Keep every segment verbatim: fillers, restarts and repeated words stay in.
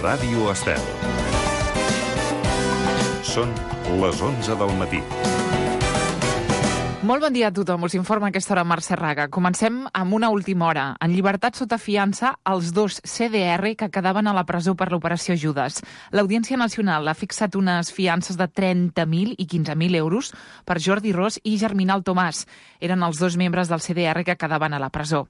Ràdio Estel. Són les onze del matí. Molt bon dia a tothom. Us informa a aquesta hora Mercè Raga. Comencem amb una última hora. En llibertat sota fiança, els dos C D R que quedaven a la presó per l'operació Judes. L'Audiència Nacional ha fixat unes fiances de trenta mil i quinze mil euros per Jordi Ros i Germinal Tomàs. Eren els dos membres del C D R que quedaven a la presó.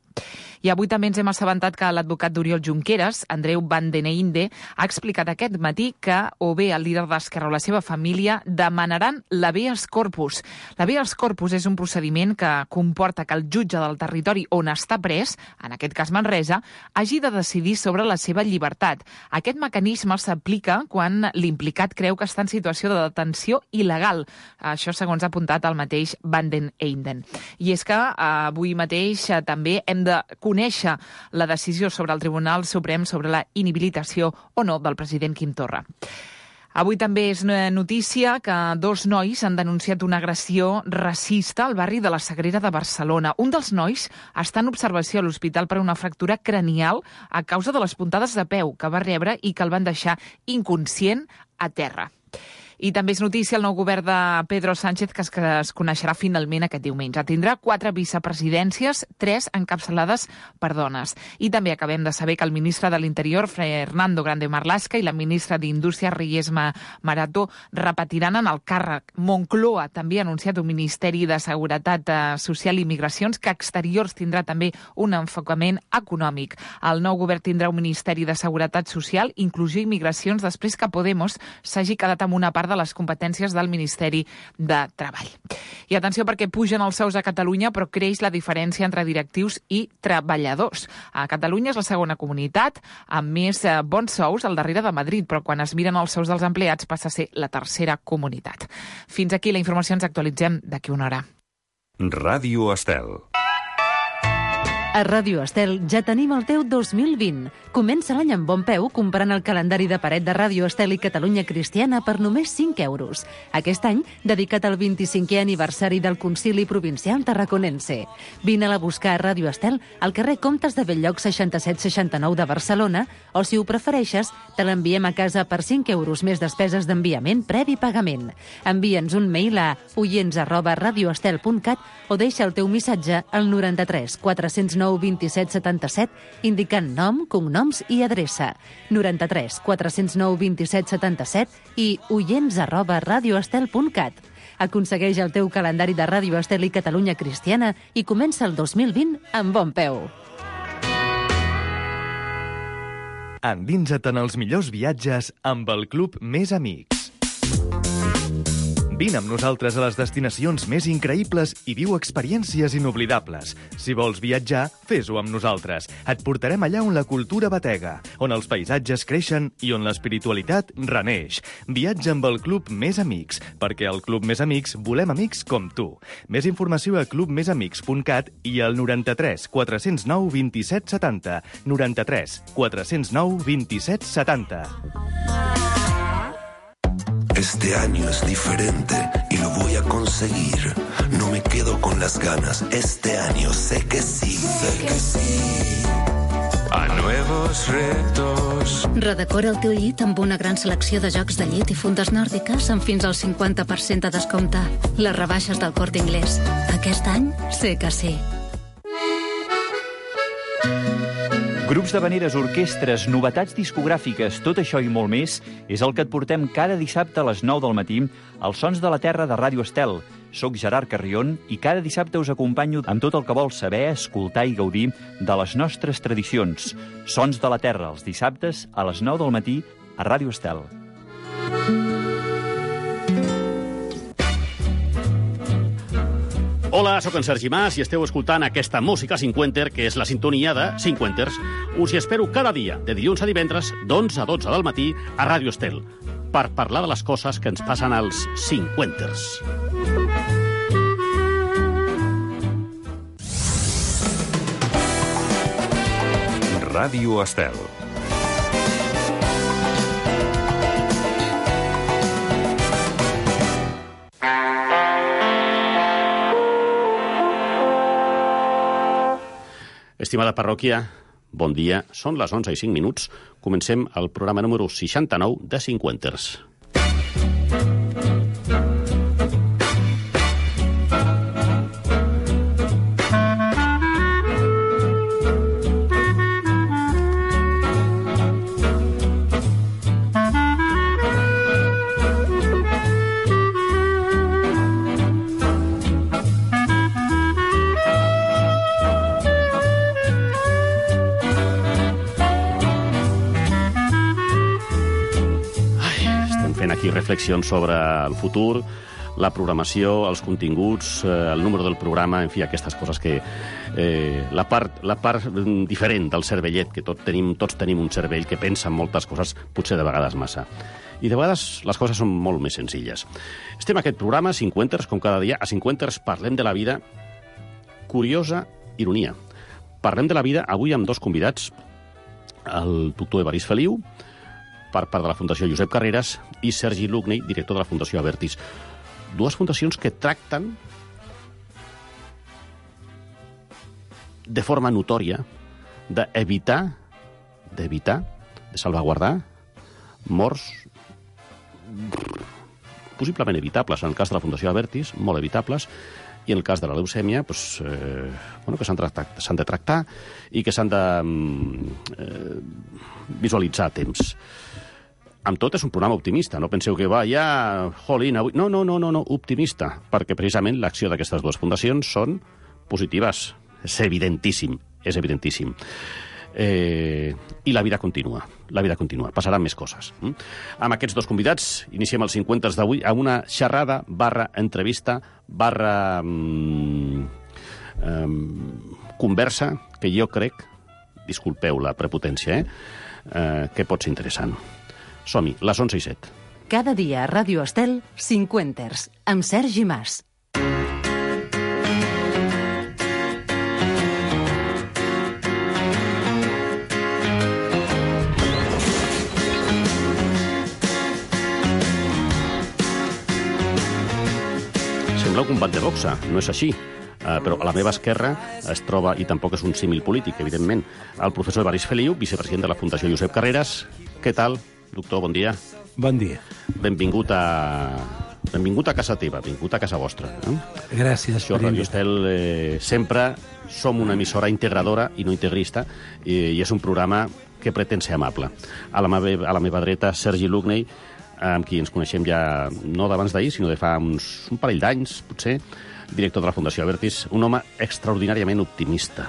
I avui també ens hem assabentat que l'advocat d'Oriol Junqueras, Andreu Van den Einde, ha explicat aquest matí que o bé el líder d'Esquerra o la seva família demanaran l'habeas corpus. L'habeas corpus és un procediment que comporta que el jutge del territori on està pres, en aquest cas Manresa, hagi de decidir sobre la seva llibertat. Aquest mecanisme s'aplica quan l'implicat creu que està en situació de detenció il·legal. Això segons ha apuntat el mateix Van den Einde. I és que eh, avui mateix eh, també hem de conèixer la decisió sobre el Tribunal Suprem sobre la inhabilitació o no del president Quim Torra. Avui també és notícia que dos nois han denunciat una agressió racista al barri de la Sagrera de Barcelona. Un dels nois està en observació a l'hospital per una fractura cranial a causa de les puntades de peu que va rebre i que el van deixar inconscient a terra. I també és notícia el nou govern de Pedro Sánchez, que es, que es coneixerà finalment aquest diumenge. Tindrà quatre vicepresidències, tres encapçalades per dones. I també acabem de saber que el ministre de l'Interior, Fernando Grande Marlaska, i la ministra d'Indústria, Reyes Maroto, repetiran en el càrrec. Moncloa també ha anunciat un Ministeri de Seguretat Social i Migracions que Exteriors tindrà també un enfocament econòmic. El nou govern tindrà un Ministeri de Seguretat Social, Inclusió i Migracions, després que Podemos s'hagi quedat amb una part de les competències del Ministeri de Treball. I atenció perquè pugen els sous a Catalunya, però creix la diferència entre directius i treballadors. A Catalunya és la segona comunitat amb més eh, bons sous al darrere de Madrid, però quan es miren els sous dels empleats passa a ser la tercera comunitat. Fins aquí la informació, ens actualitzem d'aquí una hora. Ràdio Estel. A Ràdio Estel ja tenim el teu dos mil vint. Comença l'any amb bon peu comprant el calendari de paret de Ràdio Estel i Catalunya Cristiana per només cinc euros. Aquest any, dedicat al vint-i-cinquè aniversari del Concili Provincial Tarraconense. Vine-la a buscar a Ràdio Estel al carrer Comtes de Belllloc seixanta-set seixanta-nou de Barcelona o, si ho prefereixes, te l'enviem a casa per cinc euros més despeses d'enviament previ pagament. Envia'ns un mail a oients arroba radioestel punt cat o deixa el teu missatge al noranta-tres quatre-cents nou vint-i-set setanta-set indicant nom, cognoms i adreça. noranta-tres quatre-cents nou vint-i-set setanta-set i oients arroba radioestel punt cat. Aconsegueix el teu calendari de Ràdio Estel i Catalunya Cristiana i comença el dos mil vint amb bon peu. Endinsa't en els millors viatges amb el Club Més Amics. Vine amb nosaltres a les destinacions més increïbles i viu experiències inoblidables. Si vols viatjar, fes-ho amb nosaltres. Et portarem allà on la cultura batega, on els paisatges creixen i on l'espiritualitat reneix. Viatja amb el Club Més Amics, perquè al Club Més Amics volem amics com tu. Més informació a club més amics punt cat i al noranta-tres quatre-cents nou vint-i-set setanta. noranta-tres quatre-cents nou vint-i-set setanta. Este año es diferente y lo voy a conseguir. No me quedo con las ganas. Este año sé que sí. Sé que sí. A nuevos retos. Redecora el teu llit amb una gran selecció de jocs de llit i fundes nòrdiques amb fins al cinquanta per cent de descompte. Les rebaixes del Corte Inglés. Aquest any sé que sí. Grups d'havaneres, orquestres, novetats discogràfiques, tot això i molt més és el que et portem cada dissabte a les nou del matí als Sons de la Terra de Ràdio Estel. Soc Gerard Carrion i cada dissabte us acompanyo amb tot el que vols saber, escoltar i gaudir de les nostres tradicions. Sons de la Terra, els dissabtes a les nou del matí a Ràdio Estel. Hola, sóc en Sergi Mas i esteu escoltant aquesta música cinquenter, que és la sintonia de Cinquenters. Us hi espero cada dia, de dilluns a divendres, d'onze a dotze del matí, a Ràdio Estel, per parlar de les coses que ens passen als cinquenters. Ràdio Estel. Estimada parròquia, bon dia. Són les onze i cinc minuts. Comencem el programa número seixanta-nou de Cinquenters. Aquí reflexions sobre el futur, la programació, els continguts, eh, el número del programa, en fi, aquestes coses que... Eh, la, part, la part diferent del cervellet, que tot tenim, tots tenim un cervell que pensa en moltes coses, potser de vegades massa. I de vegades les coses són molt més senzilles. Estem a aquest programa, Cinquenters, com cada dia. A Cinquenters parlem de la vida, curiosa ironia. Parlem de la vida avui amb dos convidats, el doctor Evarist Feliu, per part de la Fundació Josep Carreras, i Sergi Lugney, director de la Fundació Abertis. Dues fundacions que tracten de forma notòria d'evitar, d'evitar, de salvaguardar morts possiblement evitables. En el cas de la Fundació Abertis, molt evitables, i en el cas de la leucèmia, doncs, eh, bueno, que s'han de tractar i que s'han de eh, visualitzar a temps. Amb tot, és un programa optimista. No penseu que va, ja, jolín, avui... No, no, no, no, no, optimista, perquè precisament l'acció d'aquestes dues fundacions són positives. És evidentíssim, és evidentíssim. Eh, I la vida continua, la vida continua. Passaran més coses. Mm? Amb aquests dos convidats iniciem els Cinquenters d'avui a una xerrada barra entrevista barra mm, eh, conversa que jo crec, disculpeu la prepotència, eh, eh, que pot ser interessant. Som-hi, les onze i set. Cada dia a Ràdio Estel, Cinquenters, amb Sergi Mas. Sembla un combat de boxa, no és així. Uh, però a la meva esquerra es troba, i tampoc és un símil polític, evidentment, el professor Evarist Feliu, vicepresident de la Fundació Josep Carreras. Què tal, doctor? Bon dia. Bon dia. Benvingut a... Benvingut a casa teva, benvingut a casa vostra. Eh? Gràcies. Això, Ràdio Estel, eh, sempre som una emissora integradora i no integrista, i, i és un programa que pretén ser amable. A la meva, a la meva dreta, Sergi Lugney, amb qui ens coneixem ja no d'abans d'ahir, sinó de fa uns, un parell d'anys, potser, director de la Fundació Abertis, un home extraordinàriament optimista.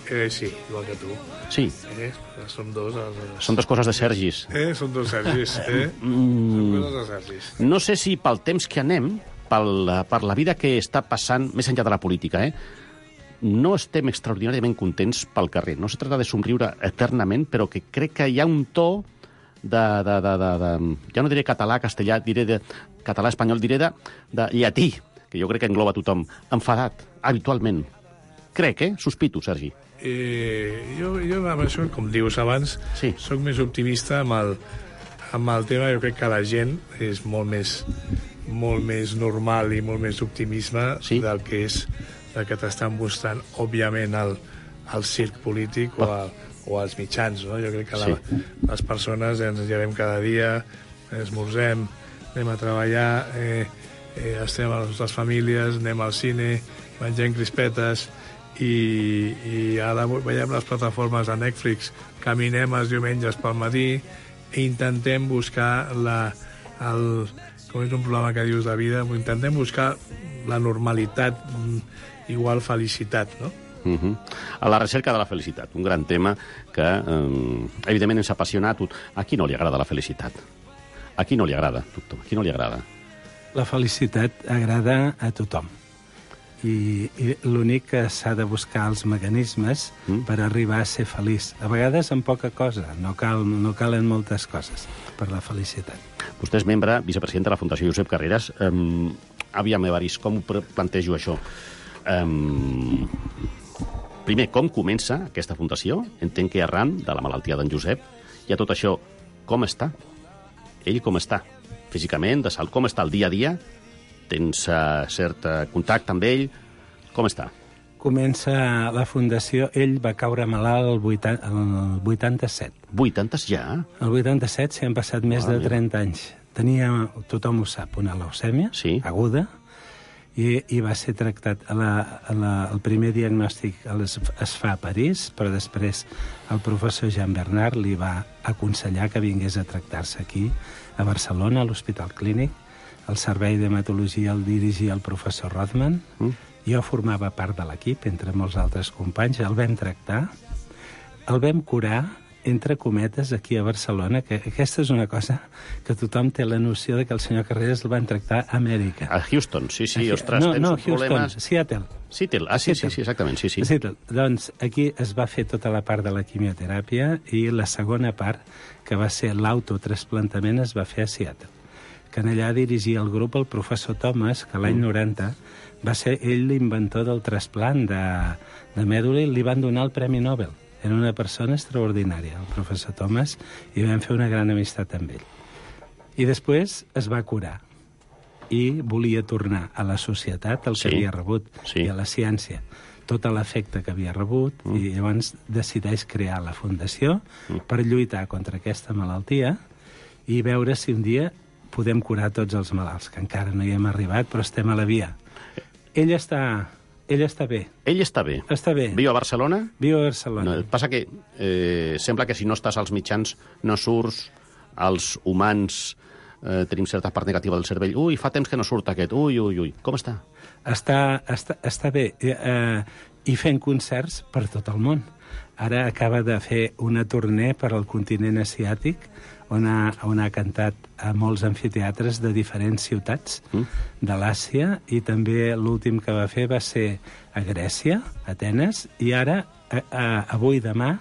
Eh, sí, igual que tu. Sí. Eh, som dos... Els... Són dues coses de Sergis. Eh, són dos Sergis, eh? Mm. Són coses de Sergis. No sé si pel temps que anem, pel, per la vida que està passant, més enllà de la política, eh? No estem extraordinàriament contents pel carrer. No se trata de somriure eternament, però que crec que hi ha un to de... de, de, de, de ja no diré català, castellà, diré de català, espanyol, diré de, de llatí, que jo crec que engloba tothom, enfadat, habitualment. Crec, eh? Sospito, Sergi. Eh, jo, jo amb això, com dius abans, sí. Soc més optimista amb el, amb el tema. Jo crec que la gent és molt més, molt més normal i molt més optimisme sí. del que és del que t'estan mostrant, òbviament, el, el circ polític o, el, o els mitjans. No? Jo crec que la, sí. les persones ens llevem cada dia, esmorzem, anem a treballar, eh, eh, estem a les nostres famílies, anem al cine, mengem crispetes, i, i ara veiem les plataformes de Netflix, caminem els diumenges pel matí i intentem buscar la, el, com és un programa que dius de vida, intentem buscar la normalitat igual felicitat, no? Uh-huh. A la recerca de la felicitat, un gran tema que eh, evidentment ens apassiona a tot. A qui no li agrada la felicitat? A qui no li agrada, doctor? A qui no li agrada? La felicitat agrada a tothom. I, i l'únic que s'ha de buscar els mecanismes mm. per arribar a ser feliç. A vegades amb poca cosa, no, cal, no calen moltes coses per la felicitat. Vostè és membre, vicepresident de la Fundació Josep Carreras. Um, aviam, Evarist, com ho plantejo això? Um, primer, com comença aquesta fundació? Entenc que arran de la malaltia d'en Josep. I a tot això, com està? Ell com està? Físicament, de salut, com està el dia a dia? Tens uh, cert uh, contacte amb ell? Com està? comença la fundació, ell va caure malalt el, vuitanta, el vuitanta-set. vuitanta ja? El vuitanta-set s'hi han passat més de trenta anys. Tenia, tothom ho sap, una leucèmia sí. aguda, i, i va ser tractat. A la, a la, el primer diagnòstic es, es fa a París, però després el professor Jean Bernard li va aconsellar que vingués a tractar-se aquí, a Barcelona, a l'Hospital Clínic. El servei d'hematologia el dirigia el professor Rothman. Mm. Jo formava part de l'equip, entre molts altres companys. El vam tractar, el vam curar, entre cometes, aquí a Barcelona, que aquesta és una cosa que tothom té la noció de que el senyor Carreras el van tractar a Amèrica. A Houston, sí, sí, ostres, no, tens no, un problema... Houston, Seattle. Seattle, ah, sí, Seattle. sí, sí, exactament, sí, sí. Seattle. Doncs aquí es va fer tota la part de la quimioteràpia i la segona part, que va ser l'autotrasplantament, es va fer a Seattle. Que en allà dirigia el grup el professor Thomas, que l'any mm. noranta va ser ell l'inventor del trasplant de, de mèdula i li van donar el Premi Nobel. Era una persona extraordinària, el professor Thomas, i vam fer una gran amistat amb ell. I després es va curar i volia tornar a la societat el que sí. havia rebut sí. i a la ciència tot l'efecte que havia rebut mm. i llavors decideix crear la fundació mm. per lluitar contra aquesta malaltia i veure si un dia podem curar tots els malalts, que encara no hi hem arribat, però estem a la via. Ell està... Ell està bé. Ell està bé. Està bé. Viu a Barcelona? Viu a Barcelona. No, passa que eh, sembla que si no estàs als mitjans no surts, els humans eh, tenim certa part negativa del cervell. Ui, fa temps que no surt aquest. Ui, ui, ui. Com està? Està, està, està bé. Eh, I fent concerts per tot el món. Ara acaba de fer una tournée per al continent asiàtic on ha, on ha cantat a molts amfiteatres de diferents ciutats mm. de l'Àsia i també l'últim que va fer va ser a Grècia, a Atenes, i ara, a, a, avui demà,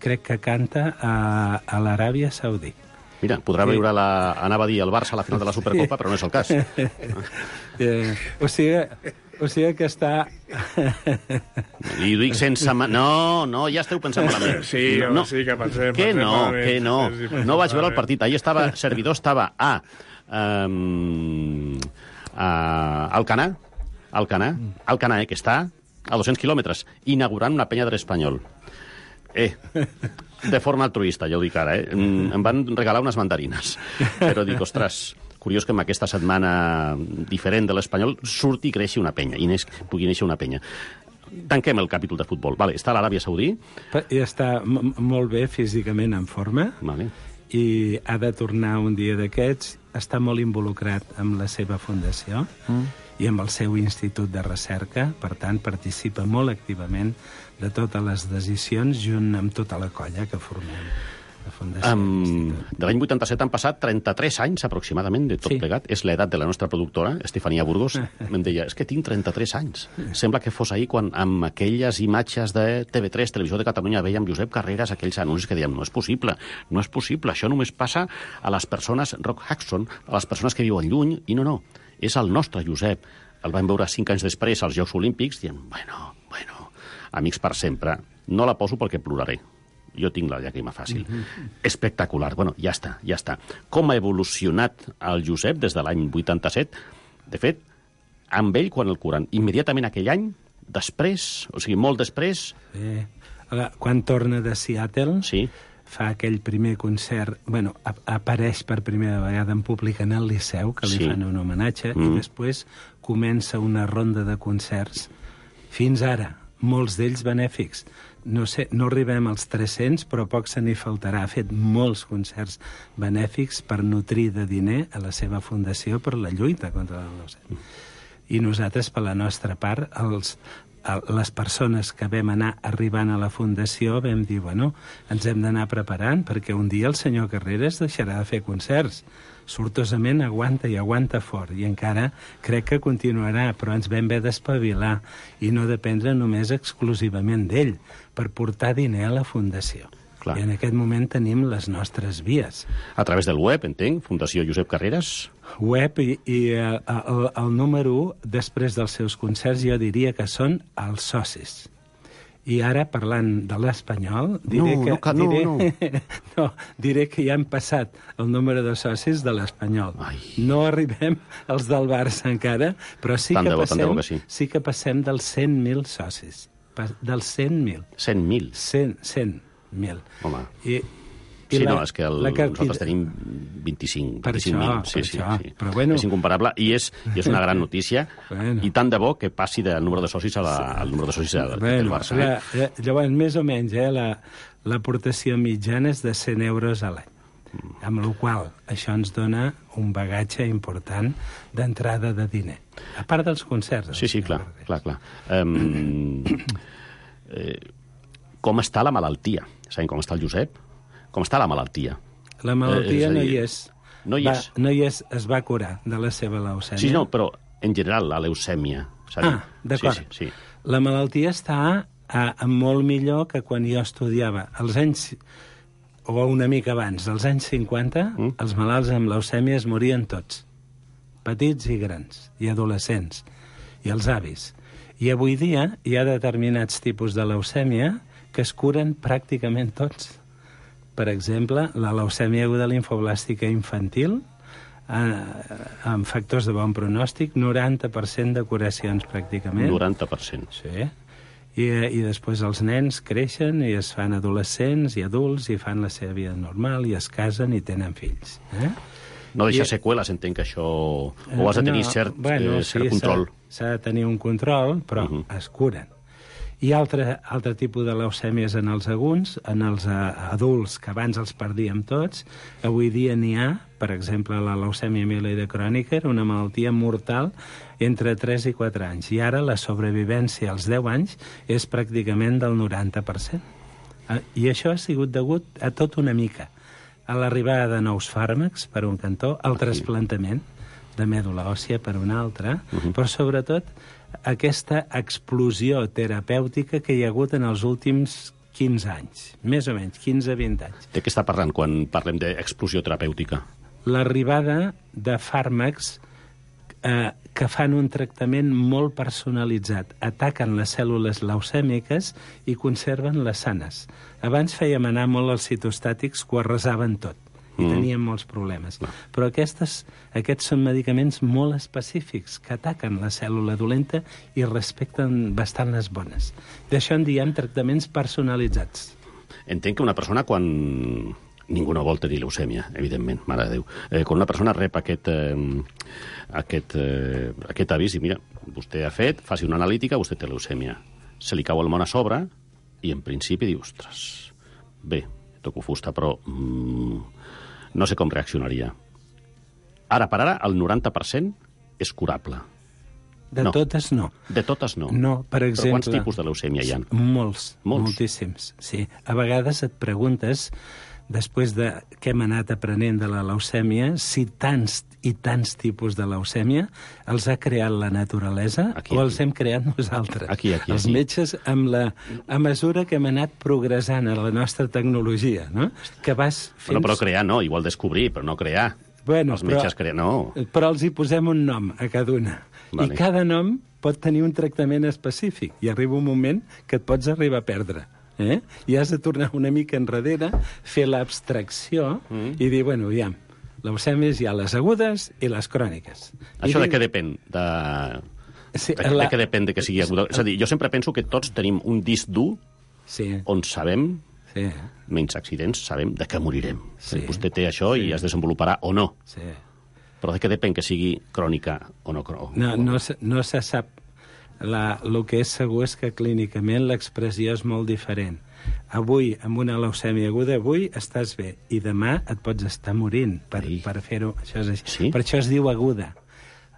crec que canta a, a l'Aràbia Saudí. Mira, podrà sí. veure la... Anava a dir el Barça a la final de la Supercopa, però no és el cas. eh, o sigui... O sigui que està... I ho dic sense... Ma... No, no, ja esteu pensant malament. Sí, no, sí que pensem, que pensem no, malament. Que no, no vaig veure el partit. Ahir estava, servidor estava a... Um, a Alcanar, Alcanar, Alcanar, eh, que està a dos-cents quilòmetres, inaugurant una penya de l'Espanyol. Eh, de forma altruista, ja ho dic ara, eh? Em van regalar unes mandarines. Però dic, ostres... Curiós que en aquesta setmana diferent de l'Espanyol surti i creixi una penya, i neix, pugui néixer una penya. Tanquem el capítol de futbol. Vale, està a l'Aràbia Saudí. I està molt bé físicament en forma. Vale. I ha de tornar un dia d'aquests. Està molt involucrat amb la seva fundació mm. i amb el seu institut de recerca. Per tant, participa molt activament de totes les decisions junt amb tota la colla que formem. Um, de l'any vuitanta-set han passat trenta-tres anys aproximadament de tot sí. plegat. És l'edat de la nostra productora, Estefania Burgos. Em deia, és que tinc trenta-tres anys. Sembla que fos ahir quan amb aquelles imatges de T V tres, Televisió de Catalunya, veiem Josep Carreras, aquells anuncis que dèiem, no és possible, no és possible, això només passa a les persones, Rock Hudson, a les persones que viuen lluny, i no, no, és el nostre Josep. El vam veure cinc anys després als Jocs Olímpics, dient, bueno, bueno, amics per sempre, no la poso perquè ploraré. Jo tinc la llàgrima fàcil. Mm-hmm. Espectacular. Bueno, ja està, ja està. Com ha evolucionat el Josep des de l'any vuitanta-set? De fet, amb ell, quan el curen, immediatament aquell any, després, o sigui, molt després... Eh, quan torna de Seattle, sí. fa aquell primer concert... Bueno, ap apareix per primera vegada en públic en el Liceu, que li sí. fan un homenatge, mm. i després comença una ronda de concerts. Fins ara, molts d'ells benèfics. No sé, no arribem als tres-cents, però poc se n'hi faltarà. Ha fet molts concerts benèfics per nutrir de diner a la seva fundació per la lluita contra la leucèmia. I nosaltres, per la nostra part, els, les persones que vam anar arribant a la fundació vam dir, bueno, ens hem d'anar preparant perquè un dia el senyor Carreras deixarà de fer concerts. Sortosament aguanta i aguanta fort, i encara crec que continuarà, però ens vam haver d'espavilar i no dependre només exclusivament d'ell per portar diner a la fundació. Clar. I en aquest moment tenim les nostres vies. A través del web, entenc, Fundació Josep Carreras? Web i, i el, el, el número u, després dels seus concerts, jo diria que són els socis. I ara, parlant de l'Espanyol, diré, no, que, no, no, diré, no. no, diré que ja hem passat el número de socis de l'Espanyol. No arribem als del Barça encara, però sí que, bo, passem, que sí. sí que passem dels cent mil socis. dels cent mil. cent mil? cent mil. Home. I, i sí, la, no, és que el, cartilla... nosaltres tenim vint-i-cinc mil. Sí, sí, sí. Però bueno... És incomparable i és, i és una gran notícia. Bueno. I tant de bo que passi del número de socis a la, al número de socis del, bueno, del Barça. Eh? La, llavors, més o menys, eh, l'aportació la, mitjana és de cent euros a l'any. Mm. Amb la qual això ens dona un bagatge important d'entrada de diner. A part dels concerts. Sí, sí, clar, clar, clar. Um, eh, com està la malaltia? Sabem com està el Josep? Com està la malaltia? La malaltia eh, no hi és. No hi va, és? No hi és, es va curar de la seva leucèmia. Sí, no, però en general la leucèmia. Ah, d'acord. Sí, sí, sí. La malaltia està a, a molt millor que quan jo estudiava. Als anys, o una mica abans, als anys cinquanta, mm? els malalts amb leucèmia es morien tots. Petits i grans, i adolescents, i els avis. I avui dia hi ha determinats tipus de leucèmia que es curen pràcticament tots. Per exemple, la leucèmia aguda limfoblàstica infantil, eh, amb factors de bon pronòstic, noranta per cent de curacions pràcticament. noranta per cent. Sí. I, I després els nens creixen i es fan adolescents i adults i fan la seva vida normal i es casen i tenen fills. Eh? No deixa I, seqüeles, entenc que això... O has de tenir no, cert, bueno, eh, cert sí, control. S'ha de tenir un control, però uh -huh. es curen. Hi ha altre, altre tipus de leucèmies en els aguts, en els uh, adults, que abans els perdíem tots. Avui dia n'hi ha, per exemple, la leucèmia mieloide crònica, era una malaltia mortal entre tres i quatre anys. I ara la sobrevivència als deu anys és pràcticament del noranta per cent. Uh, I això ha sigut degut a tot una mica. A l'arribada de nous fàrmacs, per un cantó, al trasplantament de mèdula òssia per un altre, uh -huh. però sobretot aquesta explosió terapèutica que hi ha hagut en els últims quinze anys, més o menys, quinze a vint anys. De què està parlant quan parlem d'explosió terapèutica? L'arribada de fàrmacs eh, que fan un tractament molt personalitzat. Ataquen les cèl·lules leucèmiques i conserven les sanes. Abans fèiem anar molt els citostàtics que ho arrasaven tot i mm. teníem molts problemes. No. Però aquestes, aquests són medicaments molt específics que ataquen la cèl·lula dolenta i respecten bastant les bones. D'això en diem tractaments personalitzats. Entenc que una persona quan... Ningú no vol tenir leucèmia, evidentment, mare de Déu. Eh, quan una persona rep aquest, eh, aquest, eh, aquest avís i mira, vostè ha fet, faci una analítica, vostè té leucèmia. Se li cau el món a sobre i en principi diu, ostres, bé, toco fusta, però mm, no sé com reaccionaria. Ara per ara, el noranta per cent és curable. De no. totes no. De totes no. No, per exemple... Però quants tipus de leucèmia hi ha? Molts, Molts, moltíssims, sí. A vegades et preguntes, després de què hem anat aprenent de la leucèmia, si tants i tants tipus de leucèmia els ha creat la naturalesa aquí, o els hem creat nosaltres. Aquí, aquí, els aquí. metges, amb la, a mesura que hem anat progressant a la nostra tecnologia, no? Que vas fins... Bueno, però crear no, igual descobrir, però no crear. Bueno, els metges crear, no. Però els hi posem un nom a cada una. Vale. I cada nom pot tenir un tractament específic. I arriba un moment que et pots arribar a perdre. Eh? I has de tornar una mica enrere, fer l'abstracció mm. i dir, bueno, aviam, leucèmies hi ha les agudes i les cròniques. Això I de què depèn? De... Sí, de, la... de què depèn de que sigui aguda? És a dir, jo sempre penso que tots tenim un disc dur sí. on sabem, sí. menys accidents, sabem de què morirem. Sí. Vostè té això sí. i es desenvoluparà o no. Sí. Però de què depèn que sigui crònica o no crònica? No, no, no se sap. La, el que és segur és que clínicament l'expressió és molt diferent. Avui, amb una leucèmia aguda, avui estàs bé, i demà et pots estar morint per, sí. per fer-ho. Això és així. Sí? Per això es diu aguda.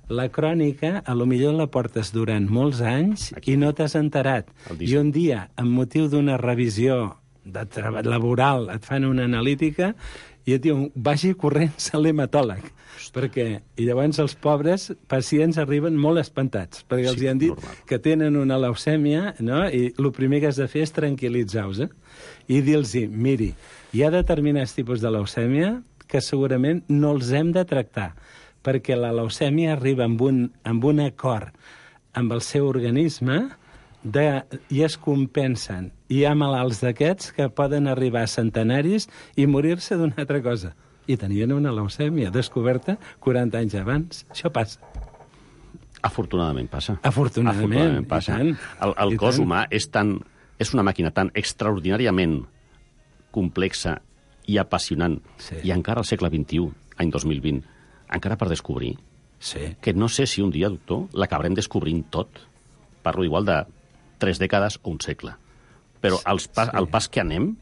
La crònica, a lo millor la portes durant molts anys Aquí. i no t'has enterat. I un dia, amb motiu d'una revisió de treball laboral, et fan una analítica i et diuen, vagi corrents a l'hematòleg. Perquè, i llavors els pobres pacients arriben molt espantats, perquè sí, els hi han dit normal. que tenen una leucèmia, no? I el primer que has de fer és tranquil·litzar-los, eh? I dir-los, miri, hi ha determinats tipus de leucèmia que segurament no els hem de tractar, perquè la leucèmia arriba amb un, amb un acord amb el seu organisme de, i es compensen. Hi ha malalts d'aquests que poden arribar a centenaris i morir-se d'una altra cosa. I tenien una leucèmia descoberta quaranta anys abans. Això passa. Afortunadament passa. Afortunadament, Afortunadament passa. i tant. El, el I cos tant. humà és, tan, és una màquina tan extraordinàriament complexa i apassionant, Sí. i encara al segle vint-i-u, any dos mil vint, encara per descobrir, Sí. que no sé si un dia, doctor, l'acabarem descobrint tot. Parlo igual de tres dècades o un segle. Però els pas, Sí. el pas que anem,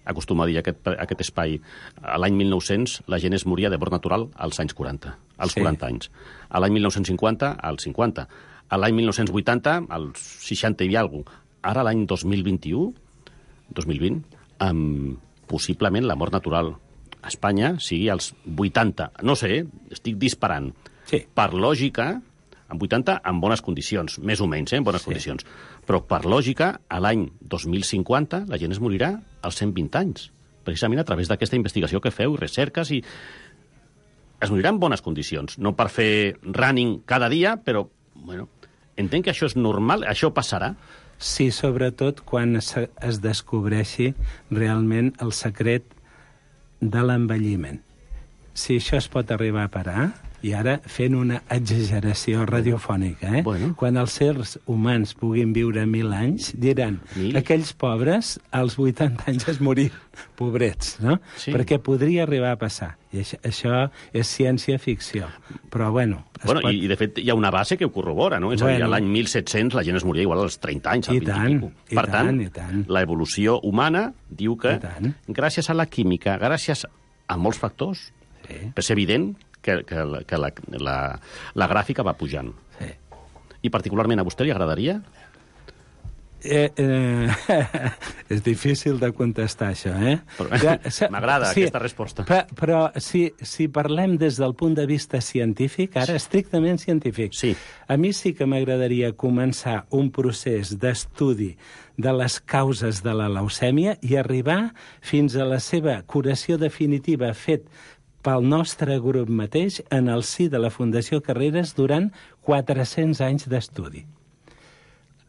acostuma a dir aquest, aquest espai, a l'any mil nou-cents la gent es moria de mort natural als anys quaranta, als Sí. quaranta anys. A l'any mil nou-cents cinquanta, als cinquanta. A l'any mil nou-cents vuitanta, als seixanta i alguna cosa. Ara, l'any dos mil vint-i-u, dos mil vint, amb possiblement la mort natural a Espanya sigui als vuitanta. No sé, estic disparant. Sí. Per lògica, en vuitanta, en bones condicions, més o menys, eh, en bones Sí. condicions. Però, per lògica, a l'any dos mil cinquanta la gent es morirà als cent vint anys, precisament a través d'aquesta investigació que feu, i recerques, i es morirà en bones condicions. No per fer running cada dia, però, bueno, entenc que això és normal, això passarà. Sí, sobretot quan es, es descobreixi realment el secret de l'envelliment. Si això es pot arribar a parar, i ara fent una exageració radiofònica, eh? Bueno. Quan els sers humans puguin viure mil anys, diran, Mil? aquells pobres als vuitanta anys es morir, pobrets, no? Sí. Perquè podria arribar a passar. I això, això és ciència-ficció. Però, bueno... es Bueno, pot... i, I, de fet, hi ha una base que ho corrobora, no? És a dir, Bueno. a l'any mil set-cents la gent es moria igual als trenta anys, als I vint tant, i pico. i Per tant, tant, i tant. la evolució humana diu que, I tant. gràcies a la química, gràcies a molts factors, Sí. és evident que, que, la, que la, la, la gràfica va pujant. Sí. I particularment a vostè li agradaria? Eh, eh, és difícil de contestar, això, eh? Però- Ja, se- M'agrada aquesta resposta. Però, però si, si parlem des del punt de vista científic, ara estrictament científic, Sí. a mi sí que m'agradaria començar un procés d'estudi de les causes de la leucèmia i arribar fins a la seva curació definitiva fet pel nostre grup mateix en el si de la Fundació Carreras durant quatre-cents anys d'estudi.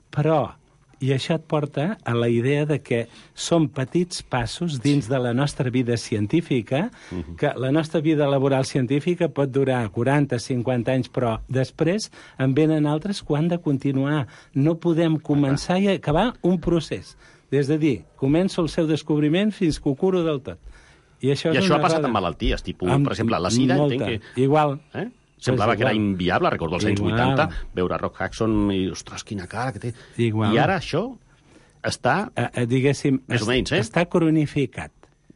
Però, i això et porta a la idea de que són petits passos dins de la nostra vida científica, que la nostra vida laboral científica pot durar quaranta, cinquanta anys, però després en venen altres que han de continuar. No podem començar i acabar un procés. És de dir, començo el seu descobriment fins que ho curo del tot. I això, I és això una ha passat errada. amb malalties, tipus, Amb per exemple, la sida, molta. entenc que... Igual. Eh? Semblava Pues que era igual. inviable, recordo els anys Igual. vuitanta, veure Rock Hudson i, ostres, quina cara que té. Igual. I ara això està... Eh, eh, diguéssim, Més o menys, eh? està cronificat.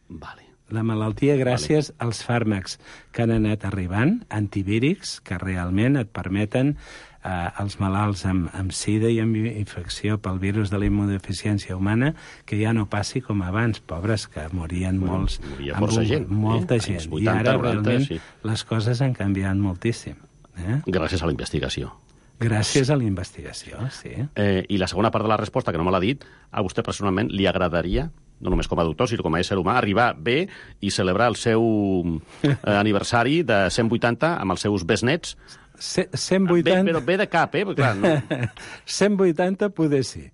Vale. La malaltia gràcies vale. als fàrmacs que han anat arribant, antivírics, que realment et permeten eh, als malalts amb, amb sida i amb infecció pel virus de la immunodeficiència humana que ja no passi com abans, pobres, que morien Bueno, molts... moria amb força un- gent, Molta eh? gent. Anys vuitanta, I ara noranta, realment sí. les coses han canviat moltíssim. Eh? Gràcies a la investigació. Gràcies a la investigació, sí. Eh, I la segona part de la resposta, que no me l'ha dit, a vostè personalment li agradaria, no només com a doctor, sinó com a ésser humà, arribar bé i celebrar el seu eh, aniversari de cent vuitanta amb els seus besnets? Ce- cent vuitanta... Bé, però bé de cap, eh? Perquè, clar, no. cent vuitanta poder sí.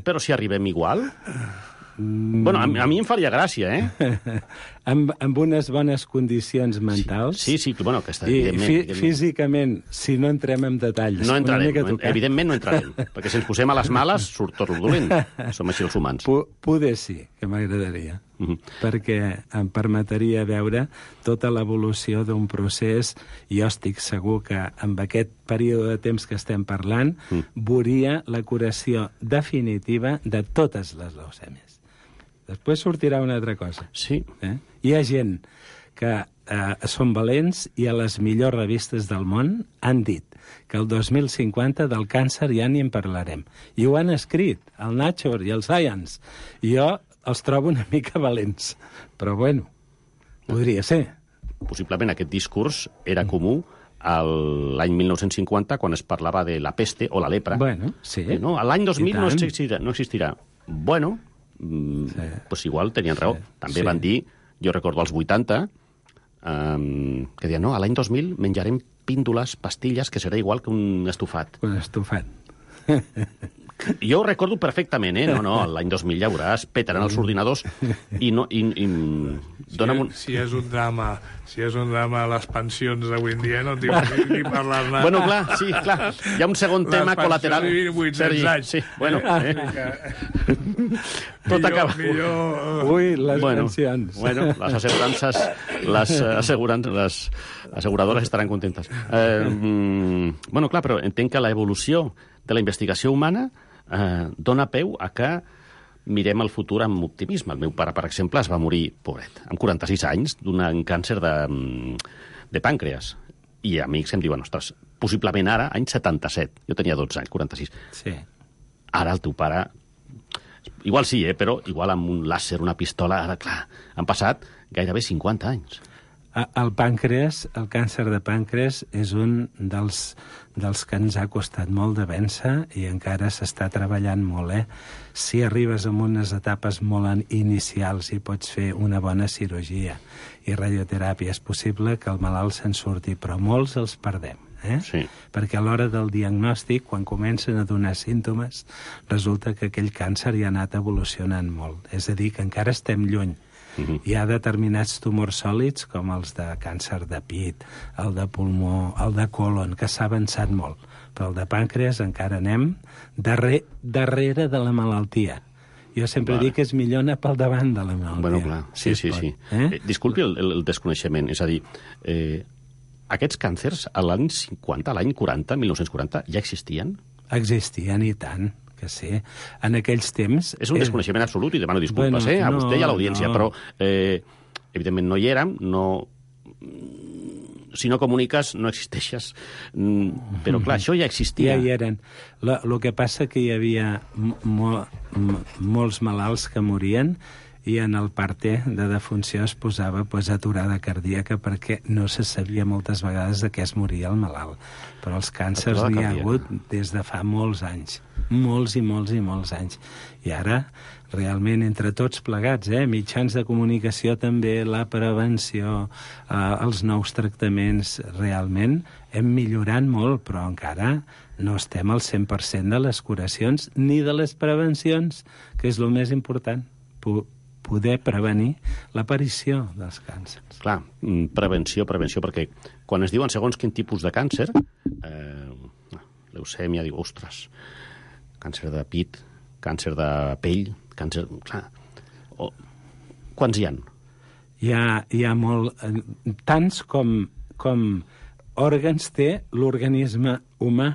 Però si arribem igual... Mm. Bueno, a, mi- a mi em faria gràcia, eh? amb, amb unes bones condicions mentals. Sí, sí, que, bueno, que està, I evidentment, fi, evidentment. físicament, si no entrem en detalls... No una entrarem, mica no, tocat. evidentment no entrarem, perquè si ens posem a les males surt tot el dolent. Som així els humans. Po- Poder sí, que m'agradaria, Uh -huh. perquè em permetria veure tota l'evolució d'un procés, i jo estic segur que amb aquest període de temps que estem parlant Mm. veuria la curació definitiva de totes les leucèmies. Després sortirà una altra cosa. Sí. Eh? Hi ha gent que eh, són valents i a les millors revistes del món han dit que el dos mil cinquanta del càncer ja ni en parlarem. I ho han escrit, el Nature i el Science. I jo els trobo una mica valents. Però bueno, podria ser. Possiblement aquest discurs era comú a l'any mil nou-cents cinquanta, quan es parlava de la peste o la lepra. Bueno, sí. Eh, no? A l'any dos mil I no tant. existirà, no existirà. Bueno, mm, Sí. pues igual tenien raó. Sí. També Sí. van dir, jo recordo als vuitanta, um, que deien, no, a l'any dos mil menjarem píndoles, pastilles, que serà igual que un estofat. Un estofat. Jo ho recordo perfectament, eh? No, no, l'any dos mil ja veuràs, petaran els ordinadors i no... I, i, dona'm un... Si és un drama, si és un drama les pensions d'avui en dia, no tinc ni, ni parlar-ne. Bueno, clar, sí, clar. Hi ha un segon les tema col·lateral. Les pensions de vuit-cents anys. Sí, bueno. Eh? Tot millor, acaba... Millor... Ui, les bueno, pensions. Bueno, les assegurances, les, assegurances, les asseguradores estaran contentes. Eh, mm, bueno, clar, però entenc que l'evolució de la investigació humana eh, dona peu a que mirem el futur amb optimisme. El meu pare, per exemple, es va morir, pobret, amb quaranta-sis anys, d'un càncer de, de pàncreas. I amics em diuen, ostres, possiblement ara, any setanta-set. Jo tenia dotze anys, quaranta-sis. Sí. Ara el teu pare... Igual sí, eh, però igual amb un làser, una pistola... Ara, clar, han passat gairebé cinquanta anys. El pàncreas, el càncer de pàncreas, és un dels, dels que ens ha costat molt de vèncer i encara s'està treballant molt, eh? Si arribes a unes etapes molt inicials i pots fer una bona cirurgia i radioteràpia, és possible que el malalt se'n surti, però molts els perdem. Eh? Sí. Perquè a l'hora del diagnòstic, quan comencen a donar símptomes, resulta que aquell càncer ja ha anat evolucionant molt. És a dir, que encara estem lluny. Uh-huh. Hi ha determinats tumors sòlids, com els de càncer de pit, el de pulmó, el de colon, que s'ha avançat molt. Però el de pàncreas encara anem darrere, darrere de la malaltia. Jo sempre vale. dic que és millor anar pel davant de la malaltia. Bueno, clar, sí, si sí, sí. Eh? Eh, disculpi el, el desconeixement, és a dir, eh, aquests càncers a l'any cinquanta, a l'any quaranta, mil nou-cents quaranta, ja existien? Existien i tant. Que sí. En aquells temps... És un desconeixement absolut i demano disculpes, bueno, eh, a no, vostè i a l'audiència, no. Però eh, evidentment no hi érem, no... Si no comuniques, no existeixes. Però clar, això ja existia. Ja hi eren. El que passa que hi havia mo molts malalts que morien i en el parte de defunció es posava pues, aturada cardíaca perquè no se sabia moltes vegades de què es moria el malalt. Però els càncers n'hi ha hagut des de fa molts anys. Molts i molts i molts anys. I ara, realment, entre tots plegats, eh, mitjans de comunicació també, la prevenció, eh, els nous tractaments, realment hem millorat molt, però encara no estem al cent per cent de les curacions ni de les prevencions, que és el més important. P poder prevenir l'aparició dels càncers. Clar, prevenció, prevenció, perquè quan es diuen segons quin tipus de càncer, eh, leucèmia, diu, ostres, càncer de pit, càncer de pell, càncer... Clar, o... quants hi ha? Hi ha, hi ha molt... Tants com, com òrgans té l'organisme humà,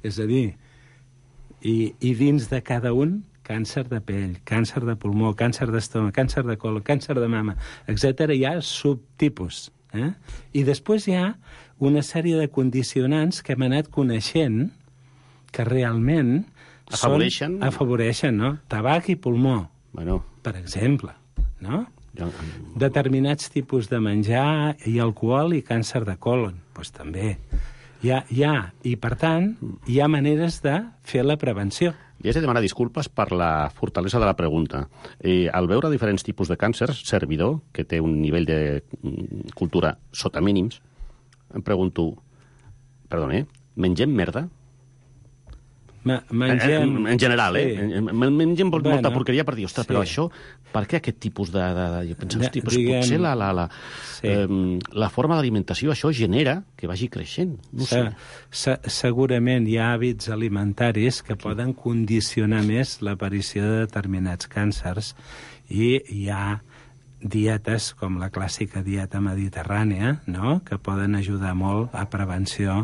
és a dir, i, i dins de cada un càncer de pell, càncer de pulmó, càncer d'estómac, càncer de colon, càncer de mama, etcètera. Hi ha subtipus. Eh? I després hi ha una sèrie de condicionants que hem anat coneixent que realment afavoreixen, són, afavoreixen no? Tabac i pulmó, bueno. per exemple. No? Determinats tipus de menjar i alcohol i càncer de colon, doncs també. Hi ha, hi ha, i per tant, hi ha maneres de fer la prevenció. I has de demanar disculpes per la fortalesa de la pregunta. Eh, al veure diferents tipus de càncers, servidor, que té un nivell de cultura sota mínims, em pregunto, perdona, eh, mengem merda? Ma mengem... En, en general, sí. eh? Mengem bueno, molta porqueria per dir, ostres, sí. Però això, per què aquest tipus de... de, de jo penso, hosti, doncs diguem... potser la, la, la, sí. eh, la forma d'alimentació, això genera que vagi creixent. No sé. Se segurament hi ha hàbits alimentaris que sí. poden condicionar més l'aparició de determinats càncers i hi ha dietes com la clàssica dieta mediterrània, no?, que poden ajudar molt a prevenció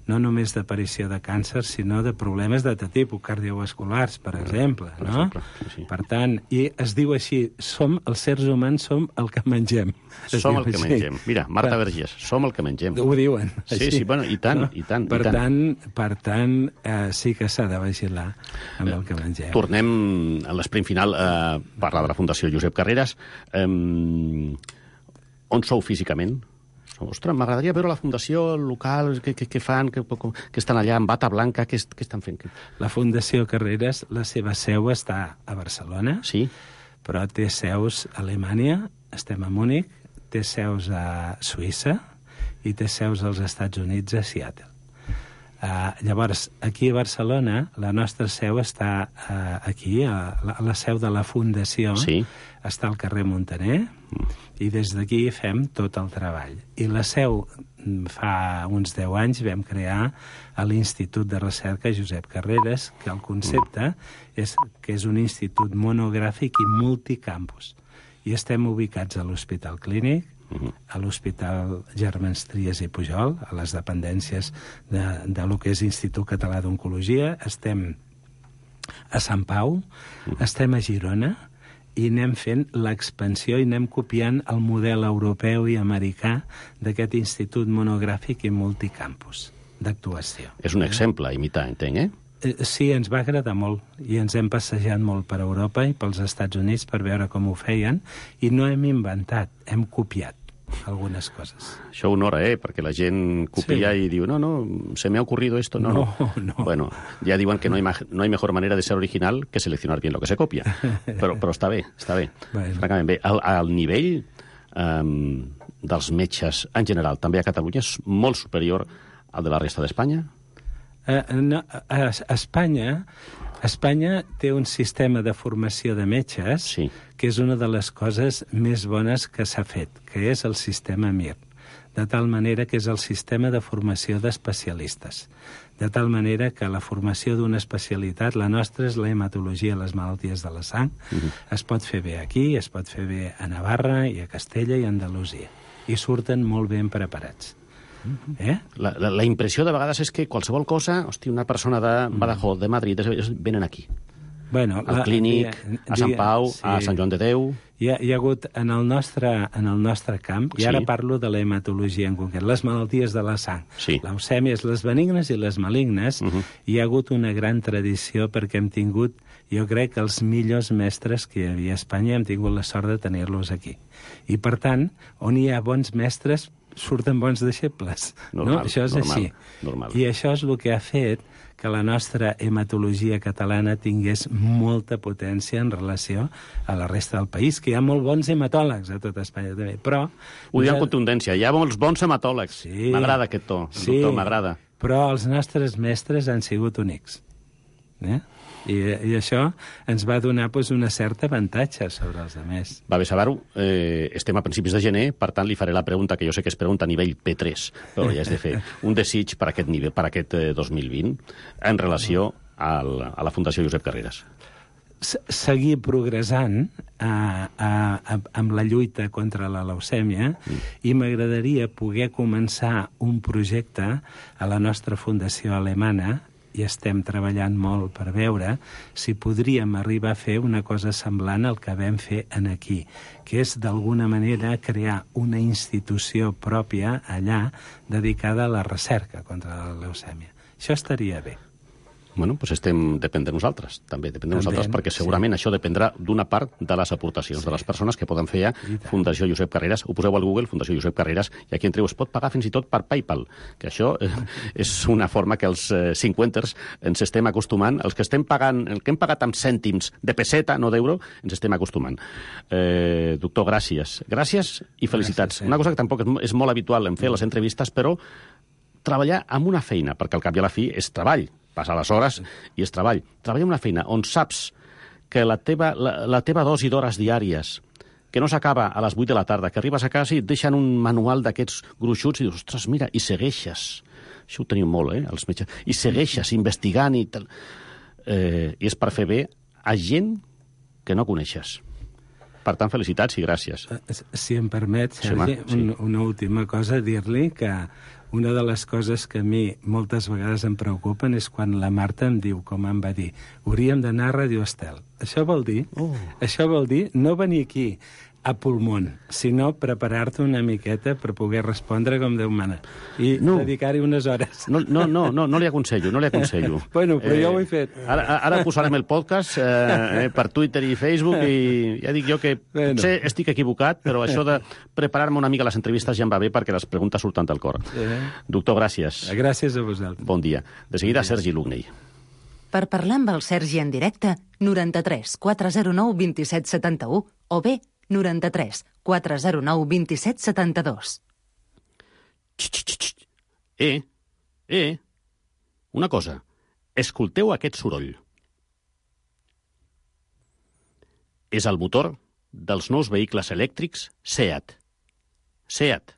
no només d'aparició de càncer, sinó de problemes de tipus cardiovasculars, per exemple, per no? exemple, sí, sí. Per tant, i es diu així, som, els sers humans som el que mengem. Es som el que així. mengem. Mira, Marta per... Vergés, som el que mengem. Ho diuen. Sí, així. sí, bueno, i tant, no? i tant. Per i tant, tant, per tant eh, sí que s'ha de vigilar amb el que mengem. Tornem a l'esprint final a parlar de la Fundació Josep Carreras. Eh, on sou físicament? Ostres, m'agradaria veure la fundació local, què, què, què fan, què, què estan allà amb bata blanca, què, què estan fent? La Fundació Carreras, la seva seu està a Barcelona, sí. Però té seus a Alemanya, estem a Múnich, té seus a Suïssa i té seus als Estats Units, a Seattle. Uh, llavors, aquí a Barcelona, la nostra seu està uh, aquí, a la, a la seu de la Fundació, sí. està al carrer Montaner, mm. i des d'aquí fem tot el treball. I la seu, fa uns deu anys, vam crear a l'Institut de Recerca Josep Carreras, que el concepte mm. és que és un institut monogràfic i multicampus. I estem ubicats a l'Hospital Clínic, Uh-huh. a l'Hospital Germans Trias i Pujol, a les dependències de, de lo que és Institut Català d'Oncologia. Estem a Sant Pau, uh-huh. estem a Girona, i anem fent l'expansió i anem copiant el model europeu i americà d'aquest institut monogràfic i multicampus d'actuació. És un exemple a imitar, entenc, eh? Sí, ens va agradar molt i ens hem passejat molt per Europa i pels Estats Units per veure com ho feien i no hem inventat, hem copiat algunes coses. Això honora, eh? Perquè la gent copia sí. i diu, no, no, se me ha ocurrido esto. No, no. no. no. Bueno, ja diuen que no hay, no hay mejor manera de ser original que seleccionar bien lo que se copia. Però, però està bé, està bé. Bueno. Francament bé. Al, al nivell um, dels metges en general, també a Catalunya, és molt superior al de la resta d'Espanya? Uh, no, a, a Espanya, Espanya té un sistema de formació de metges sí. que és una de les coses més bones que s'ha fet, que és el sistema M I R, de tal manera que és el sistema de formació d'especialistes. De tal manera que la formació d'una especialitat, la nostra és la hematologia, les malalties de la sang, uh-huh. es pot fer bé aquí, es pot fer bé a Navarra i a Castella i a Andalusia. I surten molt ben preparats. Eh? La, la, la impressió de vegades és que qualsevol cosa, hosti, una persona de Badajoz, de Madrid, venen aquí. Bueno, al Clínic, dia, a Sant Pau, sí. a Sant Joan de Déu... Hi ha, hi ha hagut en el nostre, en el nostre camp, i sí. ara parlo de la hematologia en concret, les malalties de la sang, sí. leucèmies, les benignes i les malignes, uh-huh. hi ha hagut una gran tradició perquè hem tingut, jo crec, els millors mestres que hi havia a Espanya, hem tingut la sort de tenir-los aquí. I, per tant, on hi ha bons mestres, surten bons deixebles. Normal, no? Això és normal, així. Normal. I això és el que ha fet que la nostra hematologia catalana tingués molta potència en relació a la resta del país, que hi ha molt bons hematòlegs a tot Espanya també, però... Ho diu amb contundència, hi ha molts bons hematòlegs. Sí. M'agrada aquest to, sí. doctor, m'agrada. Però els nostres mestres han sigut únics. Eh? I, I això ens va donar pues, una certa avantatge sobre els altres. Va bé saber-ho. Eh, estem a principis de gener, per tant, li faré la pregunta que jo sé que es pregunta a nivell P tres, però ja és de fer un desig per aquest, nivell, per aquest eh, dos mil vint en relació al, a la Fundació Josep Carreras. Seguir progressant a, a, a, amb la lluita contra la leucèmia mm. i m'agradaria poder començar un projecte a la nostra fundació alemana i estem treballant molt per veure si podríem arribar a fer una cosa semblant al que vam fer en aquí, que és d'alguna manera crear una institució pròpia allà dedicada a la recerca contra la leucèmia. Això estaria bé. Bueno, doncs estem, depèn de nosaltres, també, depèn de nosaltres, perquè segurament sí. això dependrà d'una part de les aportacions sí. de les persones que poden fer a Fundació Josep Carreras. Ho poseu al Google, Fundació Josep Carreras, i aquí entreu, es pot pagar fins i tot per PayPal, que això eh, és una forma que els eh, cinquanters ens estem acostumant, els que estem pagant, el que hem pagat amb cèntims de peseta, no d'euro, ens estem acostumant. Eh, doctor, gràcies. Gràcies i felicitats. Gràcies, sí. Una cosa que tampoc és, és molt habitual en fer les entrevistes, però treballar amb una feina, perquè al cap i a la fi és treball, passar les hores i és treball. Treballar en una feina on saps que la teva, la, la teva dosi d'hores diàries, que no s'acaba a les vuit de la tarda, que arribes a casa i et deixen un manual d'aquests gruixuts i dius, ostres, mira, i segueixes. Això ho teniu molt, eh, els metges. I segueixes investigant i tal. Eh, I és per fer bé a gent que no coneixes. Per tant, felicitats i gràcies. Si em permet, Sergi, sí, sí. una última cosa, dir-li que una de les coses que a mi moltes vegades em preocupen és quan la Marta em diu, com em va dir, hauríem d'anar a Radio Estel. Això vol dir, oh. això vol dir no venir aquí a pulmón, sinó preparar-te una miqueta per poder respondre com Déu mana i no. dedicar-hi unes hores. No, no, no, no, no li aconsello, no li aconsello. Bueno, però eh, jo ho he fet. Ara, ara posarem el podcast eh, per Twitter i Facebook i ja dic jo que bueno. potser estic equivocat, però això de preparar-me una mica les entrevistes ja em va bé perquè les preguntes surten del cor. Eh. Doctor, gràcies. Gràcies a vosaltres. Bon dia. De seguida, Sergi Lugney. Per parlar amb el Sergi en directe, noranta-tres quatre zero nou vint set setanta-u o bé noranta-tres quatre zero nou vint set setanta-dos. Eh, eh, Una cosa, escolteu aquest soroll. És el motor dels nous vehicles elèctrics SEAT. SEAT,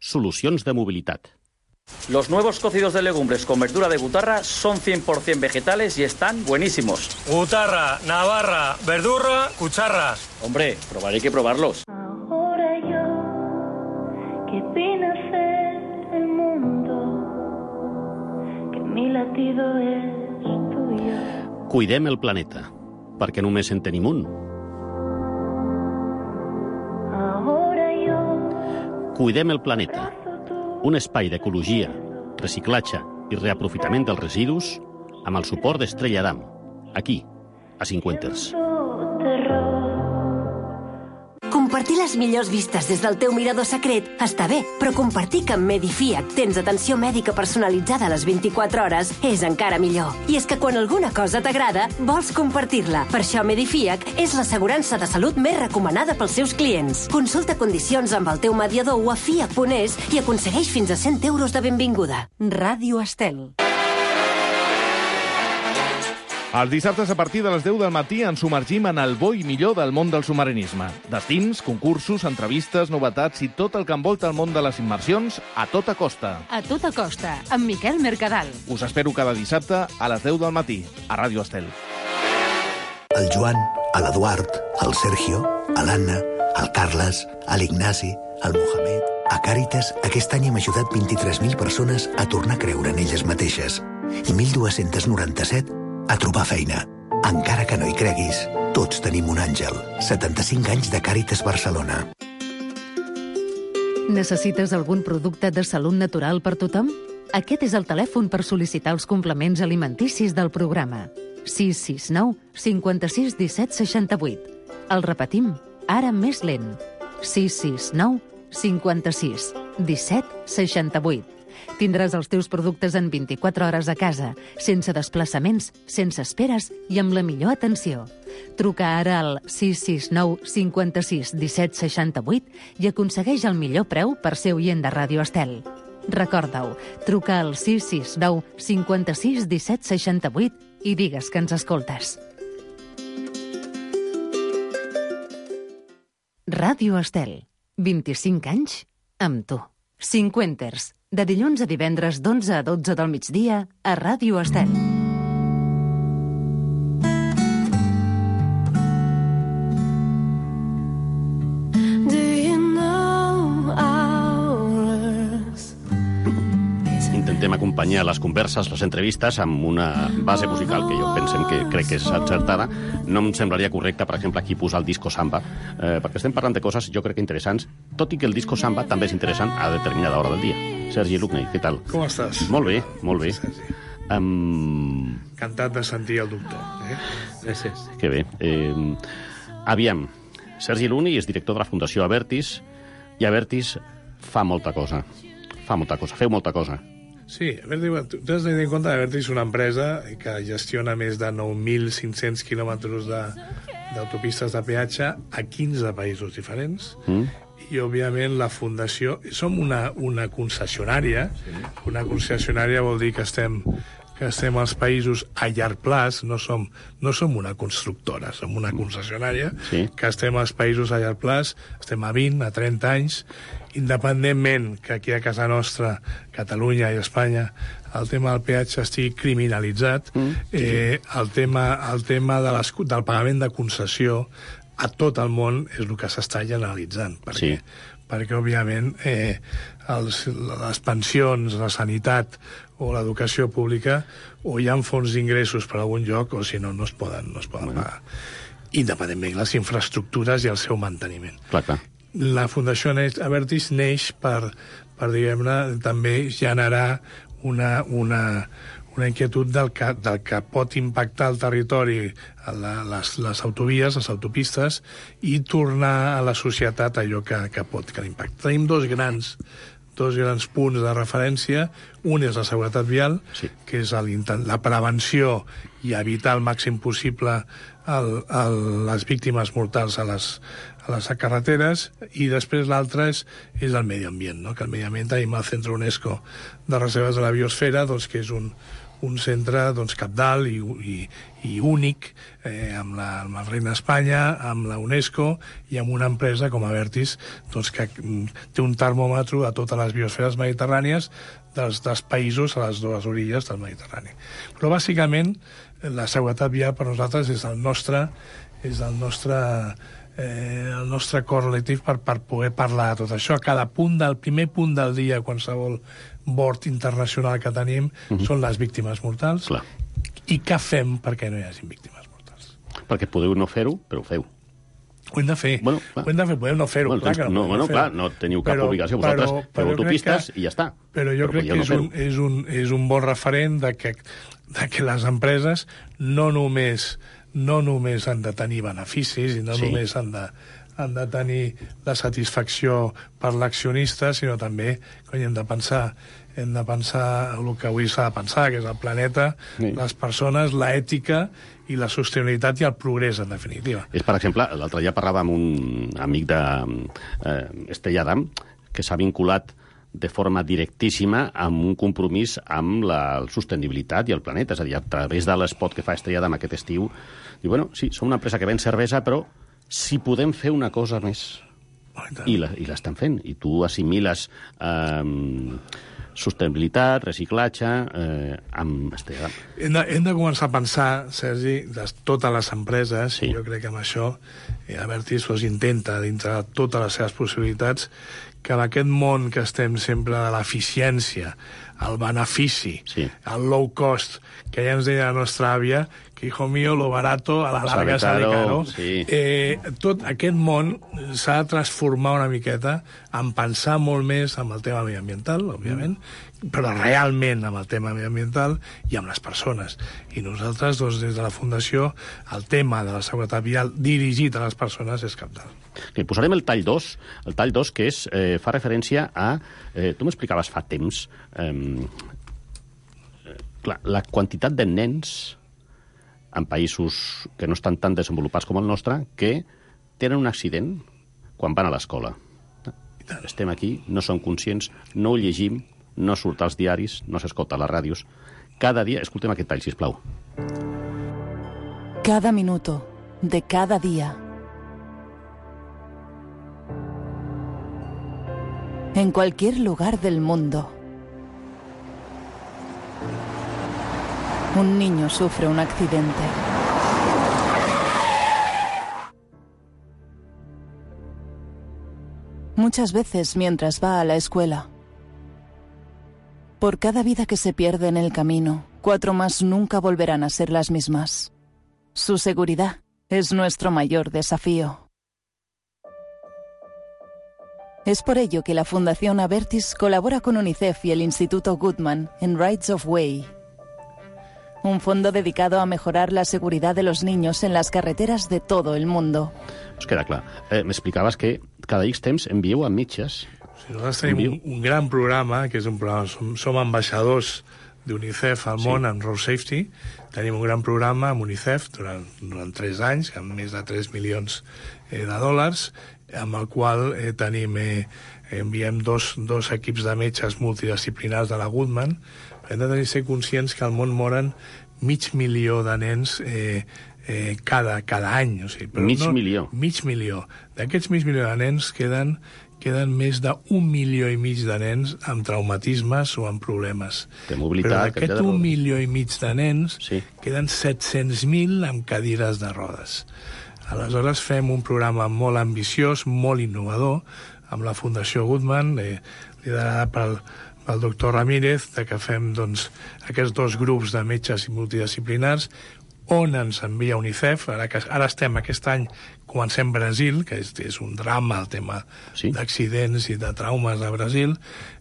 solucions de mobilitat. Los nuevos cocidos de legumbres con verdura de butarra son cien por ciento vegetales y están buenísimos. Butarra, navarra, verdurra, cucharras. Hombre, probaré que probarlos. Ahora yo, que vine a ser el mundo, que mi latido es tuyo. Cuidem el planeta, perquè només en tenim un. Ahora yo, Cuidem el planeta. Un espai d'ecologia, reciclatge i reaprofitament dels residus amb el suport d'Estrella Damm, aquí, a Cinquenters. Compartir les millors vistes des del teu mirador secret està bé, però compartir que amb Medifiac tens atenció mèdica personalitzada a les vint-i-quatre hores és encara millor. I és que quan alguna cosa t'agrada, vols compartir-la. Per això Medifiac és l'assegurança de salut més recomanada pels seus clients. Consulta condicions amb el teu mediador o a fiac punt es i aconsegueix fins a cent euros de benvinguda. Ràdio Estel. Els dissabtes a partir de les deu del matí ens submergim en el bo i millor del món del submarinisme. Destins, concursos, entrevistes, novetats i tot el que envolta el món de les immersions a tota costa. A tota costa, amb Miquel Mercadal. Us espero cada dissabte a les deu del matí, a Ràdio Estel. El Joan, l'Eduard, el Sergio, l'Anna, el Carles, l'Ignasi, el Mohamed... A Càritas, aquest any hem ajudat vint-i-tres mil persones a tornar a creure en elles mateixes i mil dos-cents noranta-set a trobar feina. Encara que no hi creguis, tots tenim un àngel. setanta-cinc anys de Càritas Barcelona. Necessites algun producte de salut natural per tothom? Aquest és el telèfon per sol·licitar els complements alimenticis del programa. sis sis nou, cinquanta-sis, disset, seixanta-vuit. El repetim, ara més lent. sis sis nou, cinquanta-sis, disset, seixanta-vuit. Tindràs els teus productes en vint-i-quatre hores a casa, sense desplaçaments, sense esperes i amb la millor atenció. Truca ara al sis sis nou, cinquanta-sis, disset, seixanta-vuit i aconsegueix el millor preu per ser oient de Ràdio Estel. Recorda-ho, truca al sis sis nou, cinquanta-sis, disset, seixanta-vuit i digues que ens escoltes. Ràdio Estel. vint-i-cinc anys amb tu. Cinquenters. De dilluns a divendres d'onze a dotze del migdia a Ràdio Estel. Intentem acompanyar les converses, les entrevistes, amb una base musical que jo pensem que crec que és encertada. No em semblaria correcte, per exemple, aquí posar el disco samba, eh, perquè estem parlant de coses, jo crec que interessants, tot i que el disco samba també és interessant a determinada hora del dia. Sergi Lucney, què tal? Com estàs? Molt bé, molt bé. Um... Encantat de sentir el doctor. Eh? Gràcies. Que bé. Eh, aviam, Sergi Lucney és director de la Fundació Avertis i Avertis fa molta cosa. Fa molta cosa, feu molta cosa. Sí, Avertis, tu has de tenir en compte que Avertis és una empresa que gestiona més de nou mil cinc-cents quilòmetres d'autopistes de, de peatge a quinze països diferents. Mm. I, òbviament, la Fundació... Som una, una concessionària. Sí. Una concessionària vol dir que estem, que estem als països a llarg plaç. No som, no som una constructora, som una concessionària. Sí. Que estem als països a llarg plaç. Estem a vint, a trenta anys. Independentment que aquí a casa nostra, Catalunya i Espanya, el tema del peatge estigui criminalitzat, mm. eh, el tema, el tema de les, del pagament de concessió a tot el món és el que s'està generalitzant, perquè, sí. perquè òbviament, eh, els, les pensions, la sanitat o l'educació pública, o hi ha fons d'ingressos per algun lloc, o si no, no es poden, no es poden bueno. pagar. Independentment les infraestructures i el seu manteniment. Clar, clar. La Fundació Avertis neix per, per diguem-ne, també generar una, una, una inquietud del que, del que pot impactar el territori, la, les, les autovies, les autopistes, i tornar a la societat allò que, que pot que l'impacta. Tenim dos grans, dos grans punts de referència. Un és la seguretat vial, sí. que és el, la prevenció i evitar al màxim possible el, el, les víctimes mortals a les, a les carreteres, i després l'altre és, és el medi ambient, no? Que el medi ambient tenim el Centre UNESCO de Reserves de la Biosfera, doncs, que és un, un centre doncs, capdalt i, i, i únic eh, amb, la, amb la Reina d'Espanya, amb la UNESCO i amb una empresa com Abertis doncs, que té un termòmetre a totes les biosferes mediterrànies dels, dels països a les dues orilles del Mediterrani. Però bàsicament la seguretat vial per nosaltres és el nostre, és el nostre Eh, el nostre cor relatiu per, per poder parlar de tot això. A cada punt del primer punt del dia, qualsevol bord internacional que tenim, uh-huh. són les víctimes mortals. Clar. I què fem perquè no hi hagi víctimes mortals? Perquè podeu no fer-ho, però ho feu. Ho hem de fer. Bueno, ho hem de fer, podem no fer-ho. Bueno, clar que no, no, bueno, clar, no teniu cap però, obligació. Vosaltres però, feu autopistes que, i ja està. Però jo però crec que és, no un, és, un, és un bon referent de que, de que les empreses no només no només han de tenir beneficis i no sí. només han de, han de tenir la satisfacció per l'accionista, sinó també que hem de pensar hem de pensar el que avui s'ha de pensar, que és el planeta, sí. les persones, l'ètica i la sostenibilitat i el progrés, en definitiva. És, per exemple, l'altre dia parlava amb un amic de eh, Estella Adam, que s'ha vinculat de forma directíssima amb un compromís amb la sostenibilitat i el planeta. És a dir, a través de l'espot que fa Estrella d'Am aquest estiu, diu, bueno, sí, som una empresa que ven cervesa, però si podem fer una cosa més. I l'estan fent. I tu assimiles eh, sostenibilitat, reciclatge, eh, amb Estrella d'Am. Hem de, hem de començar a pensar, Sergi, de totes les empreses, sí. i jo crec que amb això eh, Abertis pues, intenta, dintre de totes les seves possibilitats, que en aquest món que estem sempre de l'eficiència, el benefici, sí. el low cost, que ja ens deia la nostra àvia, que, hijo mío, lo barato a la larga sale caro. Sí. Eh, tot aquest món s'ha de transformar una miqueta en pensar molt més en el tema mediambiental, òbviament, mm. però realment amb el tema mediambiental i amb les persones. I nosaltres, doncs, des de la Fundació, el tema de la seguretat vial dirigit a les persones és cabdal. Okay, posarem el tall dos, el tall dos que és, eh, fa referència a... Eh, tu m'explicaves fa temps eh, clar, la quantitat de nens en països que no estan tan desenvolupats com el nostre que tenen un accident quan van a l'escola. Estem aquí, no som conscients, no ho llegim, no surt als diaris, no s'escolta a les ràdios. Cada dia... Escoltem aquest tall, sisplau. Cada minuto de cada día. En cualquier lugar del mundo, un niño sufre un accidente. Muchas veces mientras va a la escuela. Por cada vida que se pierde en el camino, cuatro más nunca volverán a ser las mismas. Su seguridad es nuestro mayor desafío. Es por ello que la Fundación Abertis colabora con UNICEF y el Instituto Goodman en Rights of Way, un fondo dedicado a mejorar la seguridad de los niños en las carreteras de todo el mundo. Us queda clar. Eh, M'explicaves que cada X temps envieu a metges. Sí, nosaltres tenim un, un gran programa, que és un programa, som, som ambaixadors d'UNICEF al món sí. en Road Safety. Tenim un gran programa amb UNICEF durant, durant tres anys, amb més de tres milions eh, de dòlars, amb el qual eh, tenim, eh, enviem dos, dos equips de metges multidisciplinars de la Goodman. Hem de tenir ser conscients que al món moren mig milió de nens eh, eh, cada, cada any. O sigui, però mig no, milió? Mig milió. D'aquests mig milió de nens queden, queden més d'un milió i mig de nens amb traumatismes o amb problemes. De mobilitat. Però d'aquest un milió i mig de nens sí. queden set-cents mil amb cadires de rodes. Aleshores fem un programa molt ambiciós, molt innovador, amb la Fundació Goodman, eh, liderada pel, pel doctor Ramírez, de que fem doncs, aquests dos grups de metges i multidisciplinars, on ens envia UNICEF. Ara, que, ara estem aquest any, comencem Brasil, que és, és un drama el tema sí. d'accidents i de traumes a Brasil,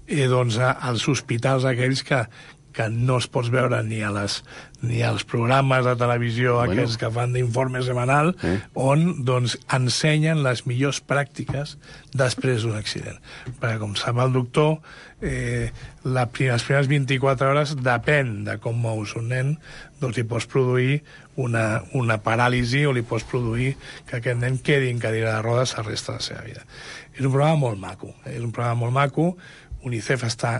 i doncs a, als hospitals aquells que, que no es pots veure ni, a les, ni als programes de televisió bueno. aquests que fan d'informe setmanal, eh? on doncs, ensenyen les millors pràctiques després d'un accident. Perquè, com sap el doctor, eh, la, les primeres vint-i-quatre hores depèn de com mous un nen, doncs li pots produir una, una paràlisi o li pots produir que aquest nen quedi en cadira de rodes el resta de la seva vida. És un programa molt maco, eh? és un programa molt maco, UNICEF està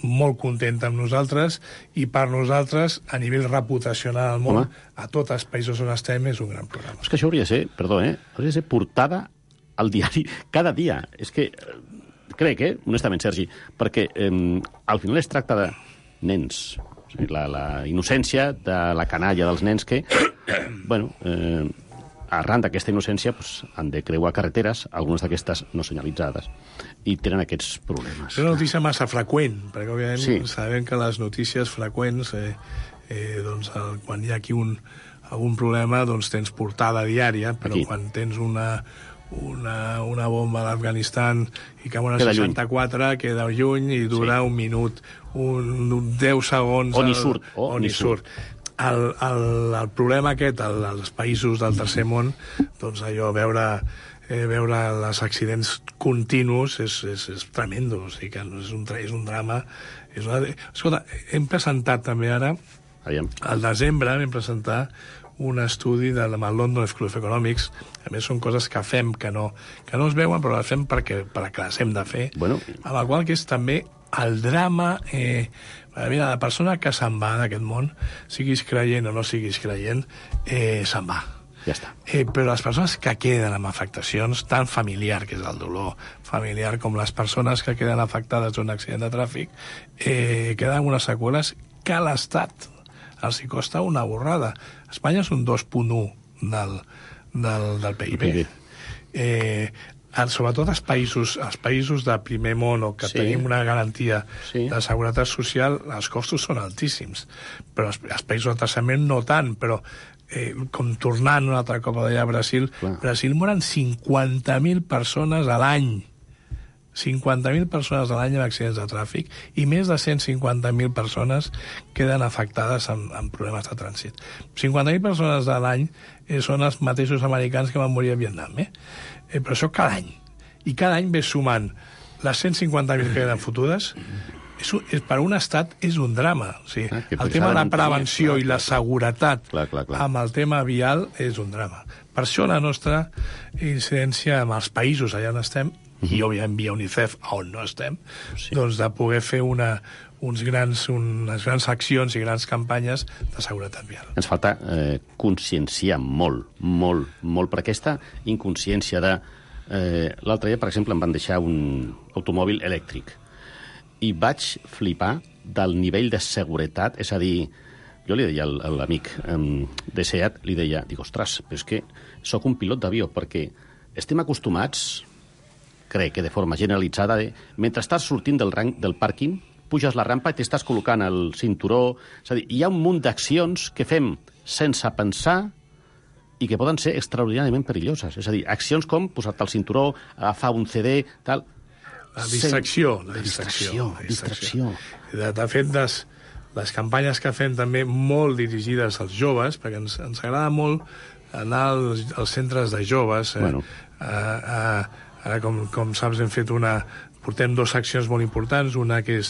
molt contenta amb nosaltres i per nosaltres, a nivell reputacional al món, Home. a tots els països on estem, és un gran programa. És que això hauria de ser, perdó, eh? hauria de ser portada al diari cada dia. És que, crec, eh? honestament, Sergi, perquè eh, al final es tracta de nens, la, la innocència de la canalla dels nens que, bueno, eh, arran d'aquesta innocència pues, han de creuar carreteres, algunes d'aquestes no senyalitzades, i tenen aquests problemes. És una notícia massa freqüent, perquè òbviament sí. sabem que les notícies freqüents, eh, eh, doncs, el, quan hi ha aquí un, algun problema, doncs tens portada diària, però aquí. Quan tens una, una, una bomba a l'Afganistan i cau una queda seixanta-quatre, lluny. Queda lluny i dura sí. un minut, un, un deu segons... O ni surt. O, o ni surt. surt. El, el, el problema aquest, el, els països del tercer món, doncs allò, veure, eh, veure els accidents continus és, és, és tremendo, o sigui que és un, és un drama. És una... Escolta, hem presentat també ara, Aviam. al desembre, vam presentar un estudi de la London School of Economics. A més, són coses que fem que no, que no es veuen, però les fem perquè, perquè les hem de fer. Bueno. Amb la qual que és també el drama... Eh, Mira, la persona que se'n va d'aquest món, siguis creient o no siguis creient, eh, se'n va. Ja està. Eh, però les persones que queden amb afectacions, tan familiar, que és el dolor familiar, com les persones que queden afectades d'un accident de tràfic, eh, queden amb unes seqüeles que a l'Estat els hi costa una borrada. Espanya és un dos coma u del, del, del P I B. Eh, sobretot els països, els països de primer món o que sí. tenim una garantia sí. de seguretat social, els costos són altíssims. Però els, els països del tercer món no tant, però eh, com tornant un altre cop allà a Brasil, Clar. Brasil moren cinquanta mil persones a l'any. cinquanta mil persones a l'any en accidents de tràfic i més de cent cinquanta mil persones queden afectades amb, amb problemes de trànsit. cinquanta mil persones a l'any eh, són els mateixos americans que van morir a Vietnam, eh? Eh, però això cada any. I cada any ve sumant les cent cinquanta mil que queden fotudes. És, és, per un estat és un drama. O sigui, ah, el tema de la prevenció clar, i la seguretat clar, clar, clar. amb el tema vial és un drama. Per això la nostra incidència amb els països allà on estem, i òbviament via UNICEF, on no estem, sí. doncs de poder fer una, uns grans, unes grans accions i grans campanyes de seguretat vial. Ens falta eh, conscienciar molt, molt, molt, per aquesta inconsciència de... Eh, l'altre dia, per exemple, em van deixar un automòbil elèctric i vaig flipar del nivell de seguretat, és a dir, jo li deia a l'amic eh, de SEAT, li deia, dic, ostres, però és que sóc un pilot d'avió, perquè estem acostumats, crec que de forma generalitzada, de, mentre estàs sortint del, rang, del pàrquing, puges la rampa i t'estàs col·locant el cinturó. És a dir, hi ha un munt d'accions que fem sense pensar i que poden ser extraordinàriament perilloses. És a dir, accions com posar-te el cinturó, agafar un C D, tal... La distracció. La distracció, distracció. distracció. De, de fet, les, les campanyes que fem també molt dirigides als joves, perquè ens, ens agrada molt anar als, als centres de joves. Eh, bueno. a, a, Ara, com, com saps, hem fet una... Portem dues accions molt importants, una que és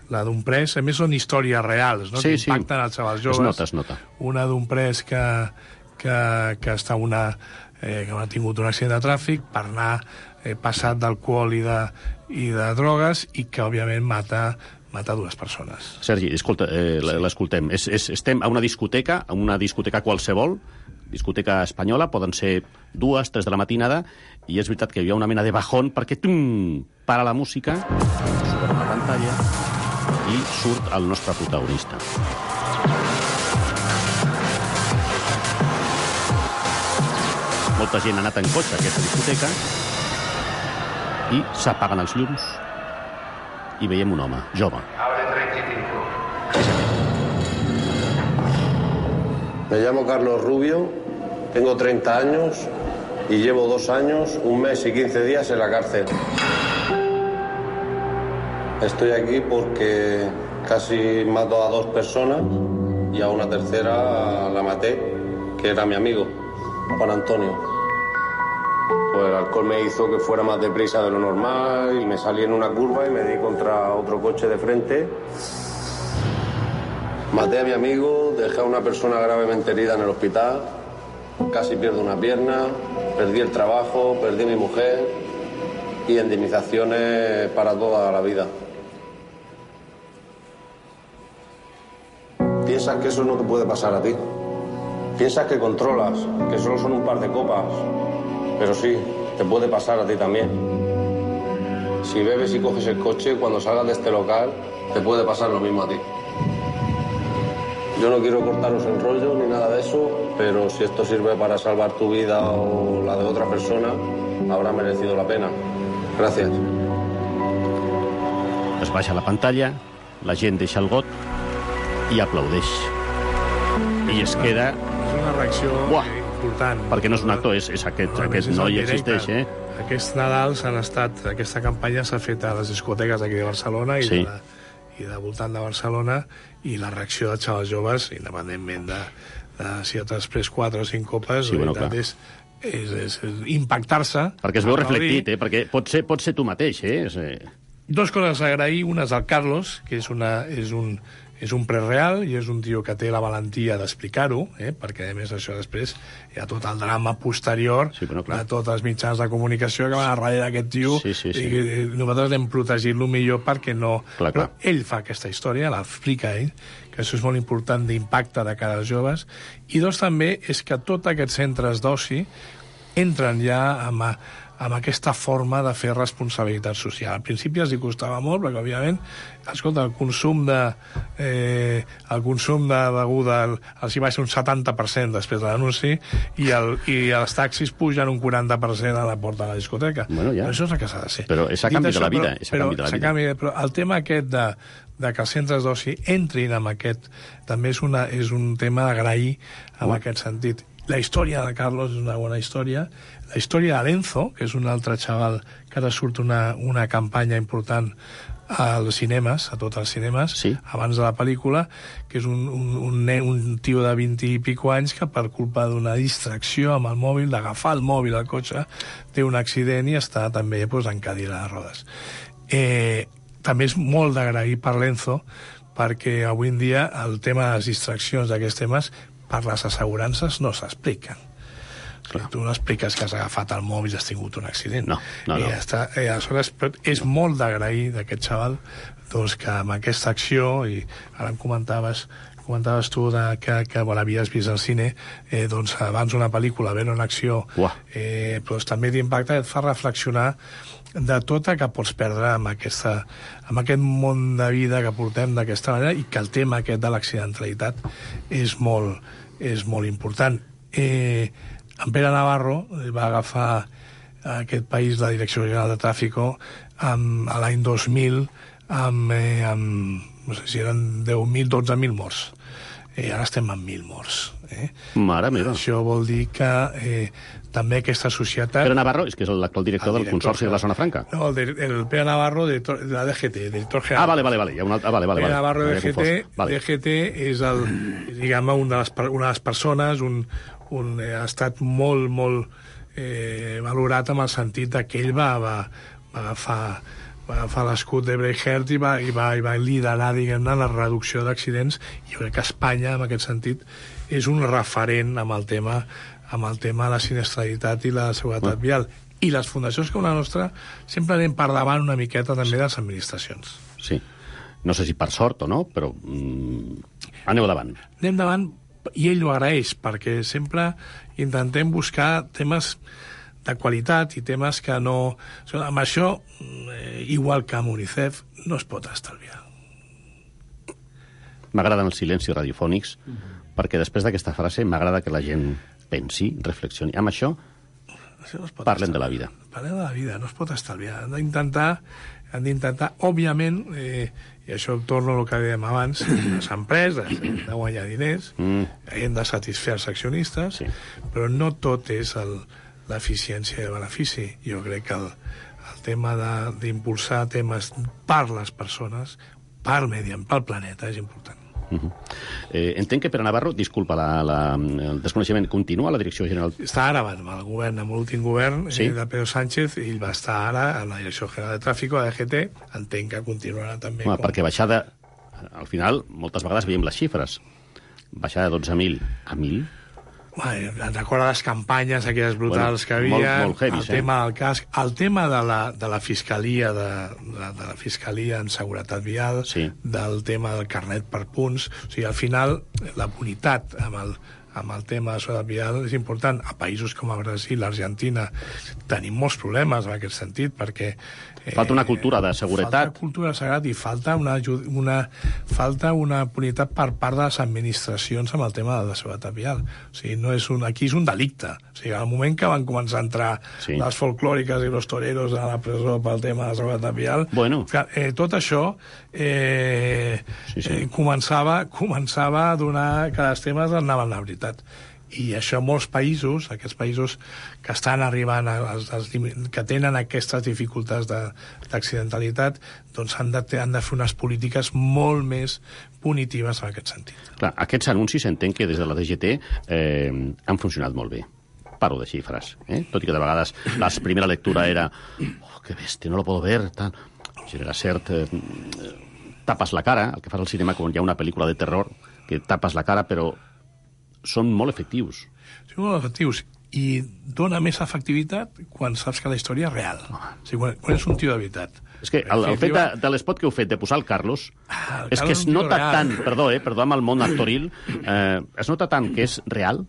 la d'un pres, a més són històries reals, no? Sí, que impacten sí. els xavals joves. Es nota, es nota. Una d'un pres que, que, que està una... Eh, que ha tingut un accident de tràfic per anar eh, passat d'alcohol i, de, i de drogues i que, òbviament, mata mata dues persones. Sergi, escolta, eh, sí. l'escoltem. És, és, estem a una discoteca, a una discoteca qualsevol, discoteca espanyola, poden ser dues, tres de la matinada, i és veritat que hi ha una mena de bajón perquè tum, para la música, surt a la pantalla i surt el nostre protagonista. Molta gent ha anat en cotxe a aquesta discoteca i s'apaguen els llums i veiem un home, jove. Me llamo Carlos Rubio, tengo treinta años y llevo dos años, un mes y quince días en la cárcel. Estoy aquí porque casi mato a dos personas y a una tercera la maté, que era mi amigo, Juan Antonio. Pues el alcohol me hizo que fuera más deprisa de lo normal y me salí en una curva y me di contra otro coche de frente. Maté a mi amigo, dejé a una persona gravemente herida en el hospital, casi pierdo una pierna, perdí el trabajo, perdí a mi mujer y indemnizaciones para toda la vida. piensas que eso no te puede pasar a ti. Piensas que controlas, que solo son un par de copas. Pero sí, te puede pasar a ti también. Si bebes y coges el coche, cuando salgas de este local, te puede pasar lo mismo a ti. Yo no quiero cortaros el rollo ni nada de eso, pero si esto sirve para salvar tu vida o la de otra persona, habrá merecido la pena. Gràcies. Es baixa la pantalla, la gent deixa el got i aplaudeix. I es queda... És una reacció Buah. important. Perquè no és un actor, és, és aquest, no, aquest noi existeix, eh? Aquests Nadals han estat... Aquesta campanya s'ha fet a les discoteques d'aquí de Barcelona i, sí. de la, i de voltant de Barcelona, i la reacció dels xavals joves, independentment de, de si has pres quatre o cinc copes, sí, bueno, és, és, és, és impactar-se. Perquè es veu reflectit, eh? Perquè pot ser, pot ser tu mateix, eh? És, eh... Dos coses a agrair. Una és al Carlos, que és, una, és, un, és un prereal i és un tio que té la valentia d'explicar-ho, eh? Perquè, a més, això després hi ha tot el drama posterior sí, bueno, de tots els mitjans de comunicació que van a darrere d'aquest tio, sí, sí, sí. I nosaltres hem protegit-lo millor perquè no... Clar, clar. Però ell fa aquesta història, l'explica ell, que això és molt important d'impacte de cara als joves. I dos, també, és que tots aquests centres d'oci entren ja amb... A, amb aquesta forma de fer responsabilitat social. Al principi els hi costava molt, perquè, òbviament, escolta, el consum de eh, el consum de beguda els hi va ser un setanta per cent després de l'anunci i, el, i els taxis pugen un quaranta per cent a la porta de la discoteca. Bueno, ja. Però això és el que s'ha de ser. Però és a canvi de la vida. Però, és a canvi de la vida. Canvi, però el tema aquest de, de que els centres d'oci entrin amb aquest també és, una, és un tema d'agrair en uh. aquest sentit. La història de Carlos és una bona història. La història de l'Enzo, que és un altre xaval que ara surt una, una campanya important als cinemes, a tots els cinemes, sí. abans de la pel·lícula, que és un, un, un, un tio de vint i pico anys que per culpa d'una distracció amb el mòbil, d'agafar el mòbil al cotxe, té un accident i està també pues, en cadira de rodes. Eh, també és molt d'agrair per l'Enzo, perquè avui en dia el tema de les distraccions d'aquests temes per les assegurances no s'expliquen. Clar. Tu no expliques que has agafat el mòbil i has tingut un accident. No, no, no. I ja està. I aleshores, és molt d'agrair d'aquest xaval doncs, que amb aquesta acció, i ara em comentaves, comentaves tu de que, que bueno, havies vist al cine, eh, doncs abans una pel·lícula, veure una acció, eh, doncs també d'impacte et fa reflexionar de tota que pots perdre amb, aquesta, amb aquest món de vida que portem d'aquesta manera i que el tema aquest de l'accidentalitat és molt, és molt important. Eh, en Pere Navarro va agafar aquest país la Direcció General de Tràfico amb, a l'any dos mil amb, eh, amb, no sé si eren deu mil, dotze mil morts. Eh, ara estem amb mil morts. Eh? Mare meva. Això vol dir que eh, també aquesta societat... Pere Navarro, és que és l'actual director, director del Consorci de la Zona Franca. No, el, el Pere Navarro de, de la D G T, director general. Ah, vale, vale, vale. Una, ah, vale, vale, Pere Navarro de D G T, vale. D G T és el, diguem, una de les, una de les persones, un, un, eh, ha estat molt, molt eh, valorat amb el sentit que ell va, va, va agafar va agafar l'escut de Breitbart i va, i va, i va liderar, diguem-ne, la reducció d'accidents. Jo crec que Espanya, en aquest sentit, és un referent amb el tema, amb el tema de la siniestralitat i la seguretat oh. vial. I les fundacions com la nostra sempre anem per davant una miqueta també de les administracions. Sí. No sé si per sort o no, però mm, aneu davant. Anem davant, i ell ho agraeix, perquè sempre intentem buscar temes de qualitat i temes que no... Amb això, eh, igual que amb UNICEF, no es pot estalviar. M'agraden els silencis radiofònics, uh -huh. perquè després d'aquesta frase m'agrada que la gent pensi, reflexioni. Amb això, això no parlem estalviar. de la vida. Parlem de la vida, no es pot estalviar. Han d'intentar, han d'intentar, òbviament, eh, i això torno al que dèiem abans, les empreses han de guanyar diners, mm. hem de satisfer els accionistes, sí. però no tot és el... l'eficiència i el benefici. Jo crec que el, el tema d'impulsar temes per les persones, per medi, pel planeta, és important. Uh -huh. eh, entenc que Pere Navarro, disculpa la, la, el desconeixement, continua a la Direcció General... Està ara amb el govern, amb l'últim govern sí? eh, de Pedro Sánchez, i ell va estar ara a la Direcció General de Tràfico, a D G T, entenc que continuarà també. Home, com... Perquè baixar de... Al final, moltes vegades veiem les xifres. Baixar de dotze mil a mil... Bueno, recorda les campanyes aquelles brutals bueno, que havia, molt, molt heavy, el tema del casc, el tema de la, de la fiscalia de, de, de la fiscalia en seguretat vial, sí. del tema del carnet per punts, o sigui, al final la punitat amb el, amb el tema de seguretat vial és important. A països com a Brasil, l'Argentina, tenim molts problemes en aquest sentit, perquè falta una cultura de seguretat. Falta cultura de seguretat i falta una, una, falta una punitat per part de les administracions amb el tema de la seguretat vial. O sigui, no és un, aquí és un delicte. O sigui, al moment que van començar a entrar sí. les folclòriques i los toreros a la presó pel tema de la seguretat vial, bueno. eh, tot això eh, sí, sí. Eh, començava, començava a donar que els temes anaven a la veritat. I això en molts països, aquests països que estan arribant, a, a, a, que tenen aquestes dificultats d'accidentalitat, doncs han de, han de fer unes polítiques molt més punitives en aquest sentit. Clar, aquests anuncis s'entén que des de la D G T eh, han funcionat molt bé. Paro de xifres, eh? Tot i que de vegades la primera lectura era oh, que bèstia, no lo puedo ver, tal. Si era cert, eh, tapes la cara, el que fas al cinema quan hi ha una pel·lícula de terror, que tapes la cara, però són molt efectius. Són molt efectius i dona més efectivitat quan saps que la història és real. O sigui, quan, quan és un tio de veritat. És que el, el fet de, de l'espot que heu fet de posar el Carlos, ah, el és Carlos que es nota tant, perdó, eh, perdó amb el món actoril, eh, es nota tant que és real.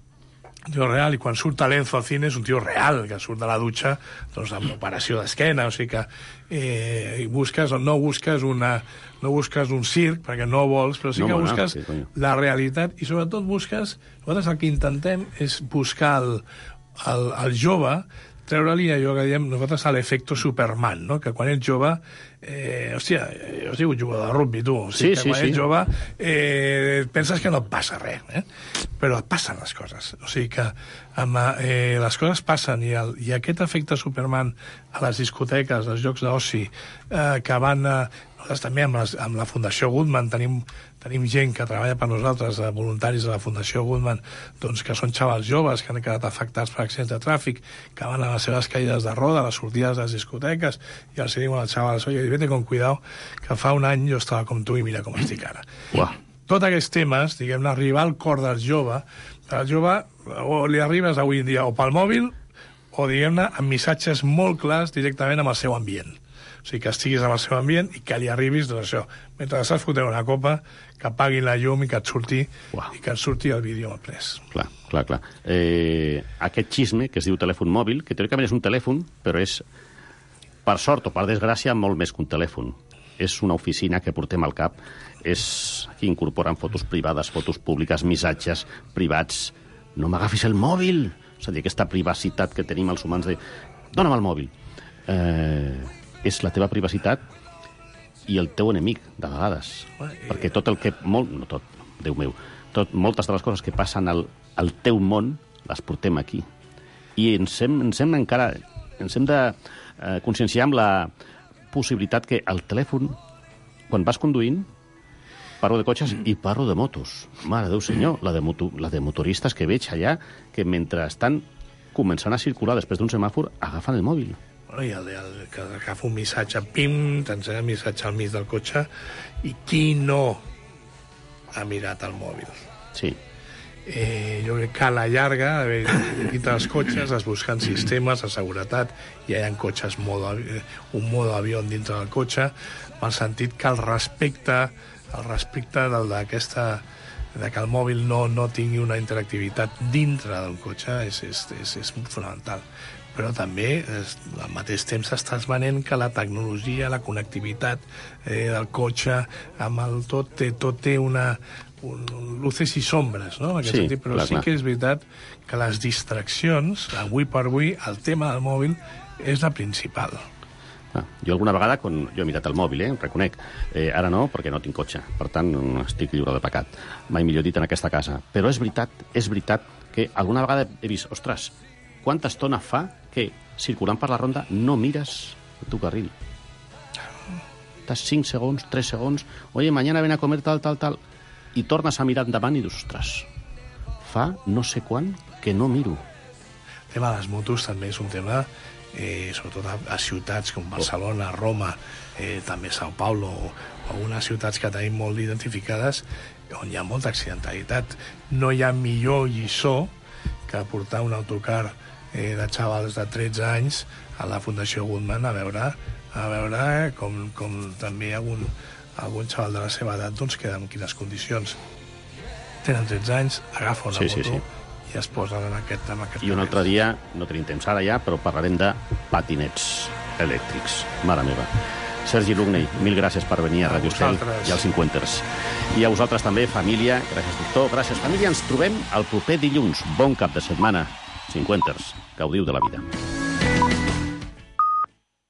Un tio real, i quan surt Talenzo al cine és un tio real, que surt de la dutxa doncs, amb operació d'esquena, o sigui que eh, busques o no busques una, no busques un circ, perquè no vols, però sí no, que no, busques no, sí, la realitat, i sobretot busques, nosaltres el que intentem és buscar el, el, el jove, treure-li allò que diem nosaltres a l'efecte Superman, no? Que quan ets jove, eh, hòstia, jo he sigut jugador de rugby, tu, o sigui, sí, que sí, quan sí. ets jove eh, penses que no et passa res, eh? Però et passen les coses, o sigui que amb, eh, les coses passen i, el, i aquest efecte Superman a les discoteques, als llocs d'oci, eh, que van a, nosaltres també amb, les, amb la Fundació Goodman tenim, tenim gent que treballa per nosaltres, voluntaris de la Fundació Goodman, doncs que són xavals joves que han quedat afectats per accidents de tràfic, que van a les seves caïdes de roda, a les sortides de les discoteques, i els diuen als xavals, oye, vete con cuidado, que fa un any jo estava com tu i mira com estic ara. Uah. Tots aquests temes, diguem-ne, arribar al cor del jove, el jove o li arribes avui en dia o pel mòbil o, diguem-ne, amb missatges molt clars directament amb el seu ambient. O sigui, que estiguis amb el seu ambient i que li arribis, doncs això, mentre estàs fotent una copa, que apaguin la llum i que et surti, wow. i que et surti el vídeo al pres. Clar, clar, clar. Eh, aquest xisme que es diu telèfon mòbil, que teòricament és un telèfon, però és, per sort o per desgràcia, molt més que un telèfon. És una oficina que portem al cap, és aquí incorporen fotos privades, fotos públiques, missatges privats. No m'agafis el mòbil! És a dir, aquesta privacitat que tenim els humans de... Dóna'm el mòbil! Eh... és la teva privacitat i el teu enemic, de vegades. Perquè tot el que... Molt, no tot, Déu meu. Tot, moltes de les coses que passen al, al teu món les portem aquí. I ens hem, ens hem encara... Ens hem de eh, conscienciar amb la possibilitat que el telèfon, quan vas conduint, parlo de cotxes i parlo de motos. Mare Déu senyor, la de, moto, la de motoristes que veig allà, que mentre estan començant a circular després d'un semàfor, agafen el mòbil. I el, el que agafa un missatge, pim, t'ensenya el missatge al mig del cotxe, i qui no ha mirat el mòbil? Sí. Eh, jo crec que a la llarga, dintre dels cotxes es busquen sistemes de seguretat, i hi ha cotxes modo, un modo avió dintre del cotxe, en el sentit que el respecte, el respecte d'aquesta de que el mòbil no, no tingui una interactivitat dintre del cotxe és, és, és, és fonamental. Però també, al mateix temps, estàs venent que la tecnologia, la connectivitat eh, del cotxe, amb el tot, té, tot té una, un, luces i sombres, no? En aquest sí, sentit. Però clar, sí que és veritat que les distraccions, avui per avui, el tema del mòbil és la principal. Ah, jo alguna vegada, quan jo he mirat el mòbil, eh, reconec, eh, ara no, perquè no tinc cotxe, per tant estic lliure de pecat, mai millor dit en aquesta casa. Però és veritat, és veritat que alguna vegada he vist, ostres, quanta estona fa que, circulant per la ronda, no mires el teu carril? Estàs cinc segons, tres segons, oye, mañana ven a comer tal, tal, tal, i tornes a mirar endavant i dius, ostres, fa no sé quan que no miro. El tema de les motos també és un tema, eh, sobretot a, a ciutats com Barcelona, Roma, eh, també Sao Paulo, o algunes ciutats que tenim molt identificades, on hi ha molta accidentalitat. No hi ha millor lliçó que portar un autocar eh, de xavals de tretze anys a la Fundació Goodman a veure, a veure com, com també algun, algun xaval de la seva edat doncs, queda en quines condicions. Tenen tretze anys, agafa una sí, moto sí, sí. i es posen en aquest, en aquest I un altre dia, no tenim temps ara ja, però parlarem de patinets elèctrics. Mare meva. Sergi Lugney, mil gràcies per venir a, a Ràdio Estel i als cinquanters. I a vosaltres també, família. Gràcies, doctor. Gràcies, família. Ens trobem el proper dilluns. Bon cap de setmana. cinquanters. Gaudiu de la vida.